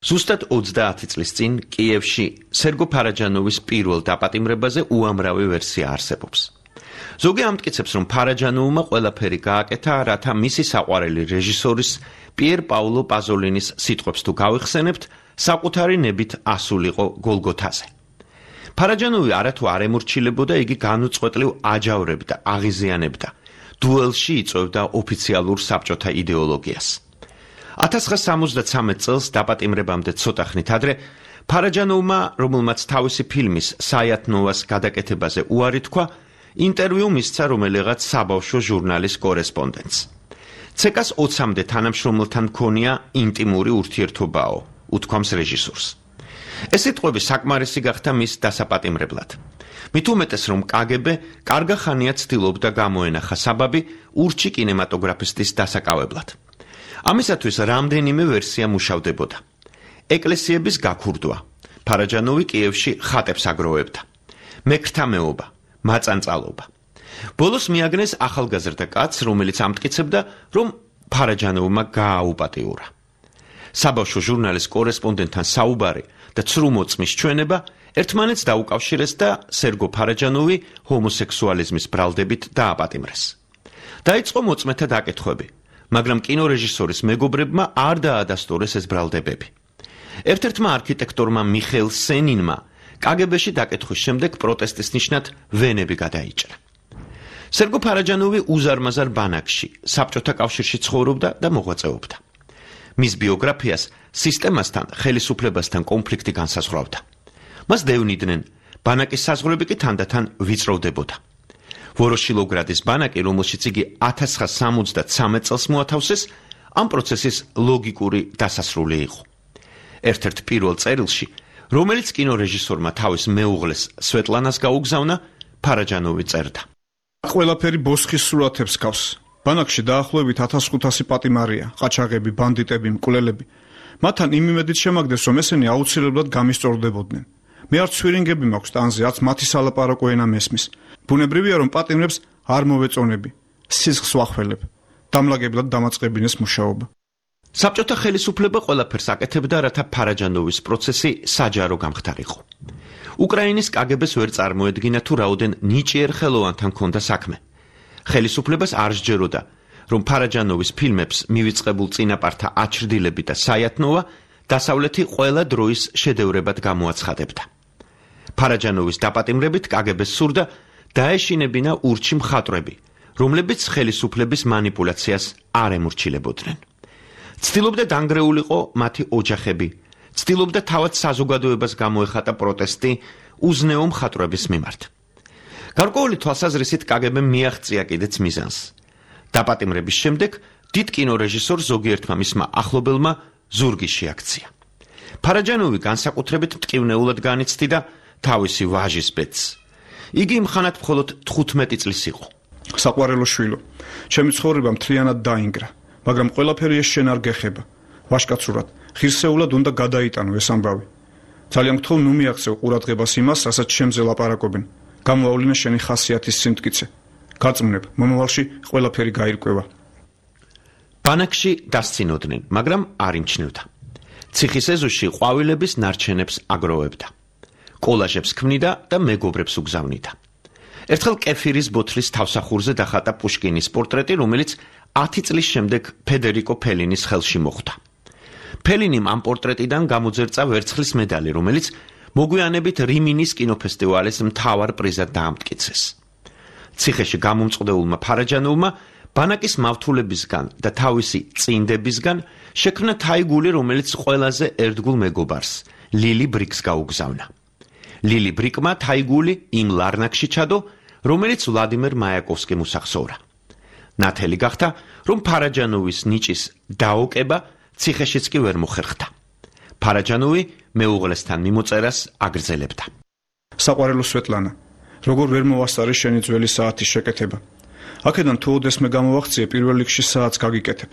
ზუსტად ოცდაათი წლის წინ კიევში სერგო ფარაჯანოვის პირველ დაპატიმრებაზე უამრავი ვერსია არსებობს. ზოგი ამტკიცებს, რომ ფარაჯანოვმა ყველაფერი გააკეთა, რათა მისი საყვარელი რეჟისორის პიერ პაულო პაზოლინის სიტყვებს თუ გავიხსენებთ, საკუთარი ნებით ასულიყო გოლგოთაზე. ფარაჯანოვი არათუ არ ემორჩილებოდა, იგი განუწყვეტლივ აჯავრებდა, აღიზიანებდა. დუელში იწვევდა ოფიციალურ საბჭოთა იდეოლოგიას. ათას ცხრაასა სამოცდათრამეტ წელს დაპატიმრებამდე ცოტა ხნით ადრე ფარაჯანოვმა, რომელმაც თავისი ფილმის საიათნოვას გადაკეთებაზე უარი თქვა, ინტერვიუ მისცა რომელიღაც საბავშვო ჟურნალის კორესპონდენტს. ცეკას ოცამდე თანამშრომელთან ჰქონია ინტიმური ურთიერთობაო, უთქვამს რეჟისორს. ეს სიტყვები საკმარისი გახდა მის დასაპატიმრებლად. მით უმეტეს, რომ კაგები კარგა ხანია ცდილობდა გამოენახა საბაბი ურჩი კინემატოგრაფისტის დასაკავებლად. ამისათვის რამდენიმე ვერსია მუშავდებოდა. ეკლესიების გაქურდვა. ფარაჯანოვი კიევში ხატებს აგროვებდა. მექრთამეობა, მაწანწალობა. ბოლოს მიაგნეს ახალგაზრდა კაცს, რომელიც ამტკიცებდა, რომ ფარაჯანოვმა გააუპატიურა. საბავშვო ჟურნალის კორესპონდენტთან საუბარი და ცრუმოწმის ჩვენება ერთმანეთს დაუკავშირეს და სერგო ფარაჯანოვი ჰომოსექსუალიზმის ბრალდებით დააპატიმრეს. დაიწყო მოწმეთა დაკითხვები, მაგრამ კინორეჟისორის მეგობრებმა არ დაადასტურეს ეს ბრალდებები. ერთ-ერთმა არქიტექტორმა მიხეილ სენინმა კაგებეში დაკითხვის შემდეგ პროტესტის ნიშნად ვენები გადაიჭრა. სერგო ფარაჯანოვი უზარმაზარ ბანაკში, საბჭოთა კავშირში ცხოვრობდა და მოღვაწეობდა. მის ბიოგრაფიას სისტემასთან, ხელისუფლებასთან კონფლიქტი განსაზღვრავდა. მას დევნიდნენ, ბანაკის საზღვრები კი თანდათან ვიწროვდებოდა. ვოროშილოგრადის ბანაკი, რომელშიც იგი ათას ცხრაასა სამოცდათრამეტ წელს მოათავსეს, ამ პროცესის ლოგიკური დასასრული იყო. ერთ-ერთ პირველ წერილში, რომელიც კინორეჟისორმა თავის მეუღლეს სვეტლანას გაუგზავნა, ფარაჯანოვი წერდა. ყველაფერი ბოსხის სურათებს გავს. ბანაკში დაახლოებით ათას ხუთასი პატიმარია, ყაჩაღები, ბანდიტები, მკვლელები. მათთან იმ იმედით შემაგდეს, რომ ესენი აუცილებლად გამისწორდებოდნენ. მე არ ცვირინგები მაქვს ტანზე, რაც მათი სალაპარაკო ენა მესმის. ბუნებრივია, რომ პატიმრებს არ მოვეწონები, სისხლს ვახველებ. დამლაგებლად დამაწყებინეს მუშაობა. საბჭოთა ხელისუფლება ყველაფერს აკეთებდა, რათა ფარაჯანოვის პროცესი საჯარო გამხდარიყო. უკრაინის კაგებეს ვერ წარმოედგინა, თუ რაოდენ ნიჭიერ ხელოვანთან ჰქონდა საქმე. ხელისუფლებას არ სჯეროდა, რომ ფარაჯანოვის ფილმებს მივიწყებულ წინაპართა აჩრდილები და საიათნოვა დასავლეთი ყველა დროის შედევრებად გამოაცხადებდა. ფარაჯანოვის დაპატიმრებით კაგებეს სურდა დაეშინებინა ურჩი მხატვრები, რომლებიც ხელისუფლების манипуляციას არ ემორჩილებოდნენ. ცდილობდა დანგრეულიყო მათი ოჯახები, ცდილობდა თავად საზოგადოებას გამოეხატა პროტესტი უზნეო მხატვრების მიმართ. გარკვეული თვალსაზრისით კაგებემ მიაღწია კიდეც მიზანს. დაპატიმრების შემდეგ დიდ კინორეჟისორ ზოგიერთმა მისმა ახლობელმა ზურგი შეაქცია. ფარაჯანოვი განსაკუთრებით მტკივნეულად განიცდიდა თავისი ვაჟის ბედს. იგი მხანად მხოლოდ თხუთმეტი წლის იყო. საყვარელო შვილო, ჩემი ცხოვრება მთლიანად დაინგრა, მაგრამ ყველაფერი ეს შენ არ გეხება. ვაშკაცურად, ღირსეულად უნდა გადაიტანო ეს ამბავი. ძალიან გთხოვ, ნუ მიაღწევ ყურადღებას იმას, რასაც შემზე ლაპარაკობენ. გამოავლინე შენი ხასიათის სიმტკიცე. გაწმნებ, მომავალში ყველაფერი გაირკვევა. ბანაკში დასცინოდნენ, მაგრამ არ იმჩნევდა. ციხის ეზოში ყვავილების ნარჩენებს აგროვებდა. კოლაჟებს ქმნიდა და მეგობრებს უგზავნიდა. ერთხელ კეფირის ბოთლის თავსახურზე დახატა პუშკინის პორტრეტი, რომელიც ათი წლის შემდეგ ფედერიკო ფელინის ხელში მოხვდა. ფელინიმ ამ პორტრეტიდან გამოძერწა ვერცხლის მედალი, რომელიც მოგვიანებით რიმინის კინოფესტივალის მთავარ პრიზად დაამტკიცეს. ციხეში გამომწყდებულმა ფარაჯანოვმა ბანაკის მავთულებისგან და თავისი წინდებისგან შექმნა თაიგული, რომელიც ყველაზე ერთგულ მეგობარს, ლილი ბრიკს გაუგზავნა. ლილი ბრიკმა თაიგული იმ ლარნაკში ჩადო, რომელიც ვლადიმერ მაიაკოვსკიმ უსახსოვრა. ნათელი გახდა, რომ ფარაჯანოვის ნიჭის დაოკება ციხეშიც კი ვერ მოხერხდა. ფარაჯანოვი მეუღლესთან მიმოწერას აგრძელებდა. საყვარელო სვეტლანა, როგორ ვერ მოვასწარი შენი ძველი საათის შეკეთება. აქედან თუ ოდესმე გამოვახციე პირველ რიგში საათს გაგიკეთებ.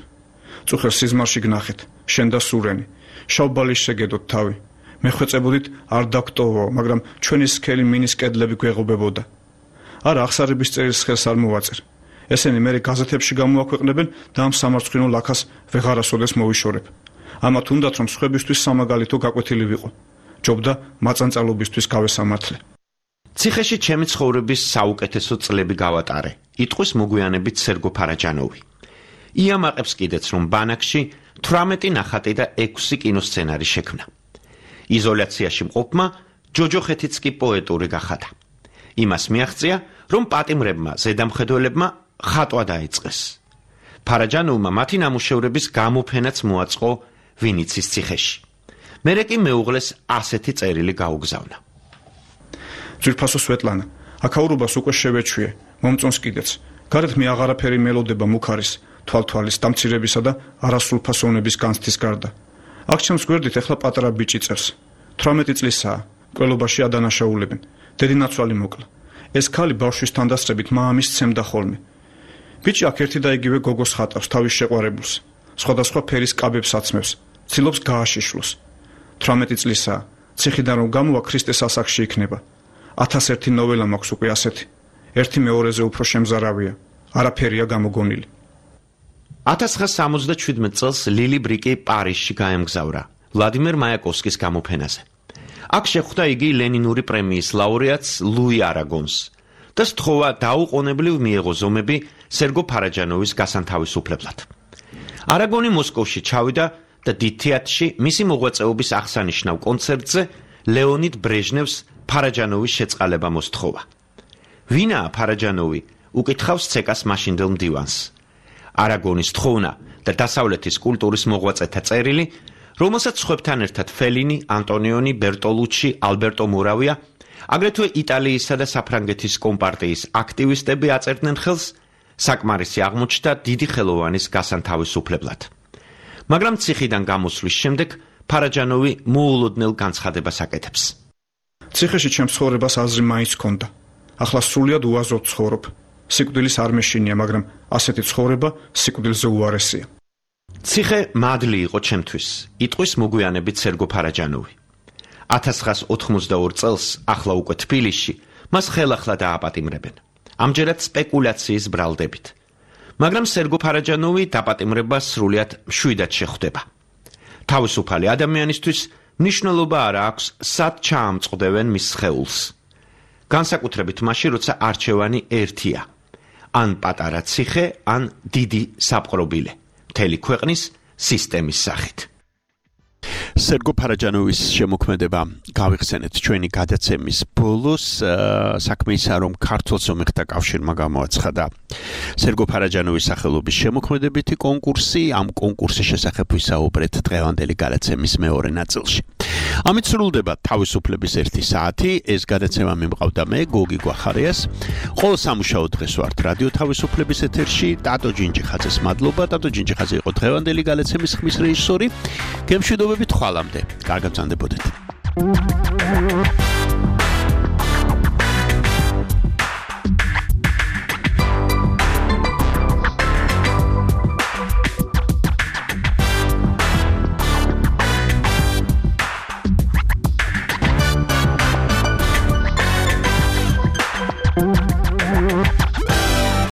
წუხელ სიზმარში გნახეთ, შენ და სურენი, შავბალის შეგედოთ თავი. მეხვეწებოდით არ დაგტოვო, მაგრამ ჩვენი სქელი მინის კედლები გვეღობებოდა. არა, აღსარების წერილს ხელს არ მოვაწერ. ესენი მერე გაზეთებში გამოაქვეყნებენ და ამ სამარცხვინო ლაქას ვეღარასოდეს მოვიშორებ. ამათ უნდათ რომ სხვებისთვის სამაგალითო გაკვეთილი ვიყო. ჯობდა მაწანწალობისთვის გავესამართლე. ციხეში ჩემი ცხოვრების საუკეთესო წლები გავატარე, იტყვის მოგვიანებით სერგო ფარაჯანოვი. იამაყებს კიდეც რომ ბანაკში თვრამეტი ნახატი და ექვსი კინოსცენარი შექმნა. იზოლაციაში მყოფმა ჯოჯოხეთიც კი პოეტური გახადა. იმას მიაღწია, რომ პატიმრებმა ზედამხედველებმა ხატვა დაიწყეს. ფარაჯანოვმა მათი ნამუშევრების გამოფენაც მოაწყო ვინიცის ციხეში. მერე კი მეუღლეს ასეთი წერილი გაუგზავნა. ძვირფასო სვეტლანა, აქაურობას უკვე შევეჩვიე, მომწონს კიდეც. გარეთ მე აღარაფერი მელოდება მუქ არის, თვალთვალის დამცირებისა და არასრულფასოვნების განცდის გარდა. აქ ჩემს გვერდით ეხლა პატარა ბიჭი წერს. თვრამეტი წლისაა, ყველობაში ადანაშაულებენ. დედინაცვალი მოკლა. ეს ქალი ბავშვის თანდასწრებით მამის ცემდა ხოლმე. ბიჭი აქ ერთი და იგივე გოგოს ხატავს თავის შეყვარებულს. სხვადასხვა ფერის კაბებს აცმევს, ცდილობს გააშიშვლოს. თვრამეტი წლისაა, ციხიდან რომ გამოვა ქრისტეს ასაკში იქნება. ათასერთი ნოველა მაქვს უკვე ასეთი. ერთი მეორეზე უფრო შემზარავია, არაფერია გამოგონილი. ათას ცხრაასა სამოცდაშვიდმეტ წელს ლილი ბრიკი პარიზში გაემგზავრა ვლადიმერ მაიაკოვსკის გამოფენაზე. აქ შეხვდა იგი ლენინური პრემიის ლაურეატს ლუი არაგონს და სთხოვა დაუყოვნებლივ მიეღო ზომები სერგო ფარაჯანოვის გასანთავისუფლებლად. არაგონი მოსკოვში ჩავიდა და დიდ თეატრში მისი მოღვაწეობის აღსანიშნავ კონცერტზე ლეონიდ ბრეჟნევს ფარაჯანოვის შეწყალება მოსთხოვა. ვინაა ფარაჯანოვი? უკითხავს ცეკას მაშინდელ მდივანს. არაგონის თხოვნა და დასავლეთის კულტურის მოღვაწეთა წერილი, რომელსაც სხვებთან ერთად ფელინი, ანტონიონი, ბერტოლუჩი, ალბერტო მორავია, აგრეთვე იტალიისა და საფრანგეთის კომპარტიის აქტივისტები აწერდნენ ხელს, საკმარისი აღმოჩნდა დიდი ხელოვანის გასანთავისუფლებლად. მაგრამ ციხიდან გამოსვლის შემდეგ ფარაჯანოვი მოულოდნელ განცხადებას აკეთებს. ციხეში ჩემს ცხოვრებას აზრი მაინც ჰქონდა. ახლა სრულიად უაზროდ ცხოვრობ. სიკვდილის არ მეშინია, მაგრამ ასეთი ცხოვრება სიკვდილზე უარესია. ციხე მადლი იყო ჩემთვის, იტყვის მოგვიანებით სერგო ფარაჯანოვი. ათას ცხრაასა ოთხმოცდაორი წელს, ახლა უკვე თბილისში, მას ხელახლა დააპატიმრებენ. ამჯერად სპეკულაციის ბრალდებით. მაგრამ სერგო ფარაჯანოვი დაპატიმრებას სრულიად მშვიდად შეხვდება. თავისუფალი ადამიანისთვის მნიშვნელობა არ აქვს, სად ჩაამწყდებენ მის სხეულს. განსაკუთრებით მაშინ, როცა არჩევანი ერთია. ან პატარა ციხე, ან დიდი საპყრობილე. მთელი ქვეყნის სისტემის სახით. სერგო ფარაჯანოვის შემოქმედება გავიხსენეთ ჩვენი გადაცემის ბოლოს, საქმე ისაა, რომ ქართულ სომეხთა კავშირმა გამოაცხადა სერგო ფარაჯანოვის სახელობის შემოქმედებითი კონკურსი, ამ კონკურსის შესახებ ვისაუბრეთ დღევანდელი გადაცემის მეორე ნაწილში. ამით სრულდება თავისუფლების ერთი საათი, ეს გადაცემა მიმყავდა მე, გოგი გვახარიას. ყოველ სამუშაო დღეს ვართ რადიო თავისუფლების ეთერში, ტატო ჯინჯიხაძეს მადლობა, ტატო ჯინჯიხაძე იყო დღევანდელი გადაცემის ხმის რეჟისორი. გემშვიდობებით ხვალამდე. კარგად გრძანდებოდეთ.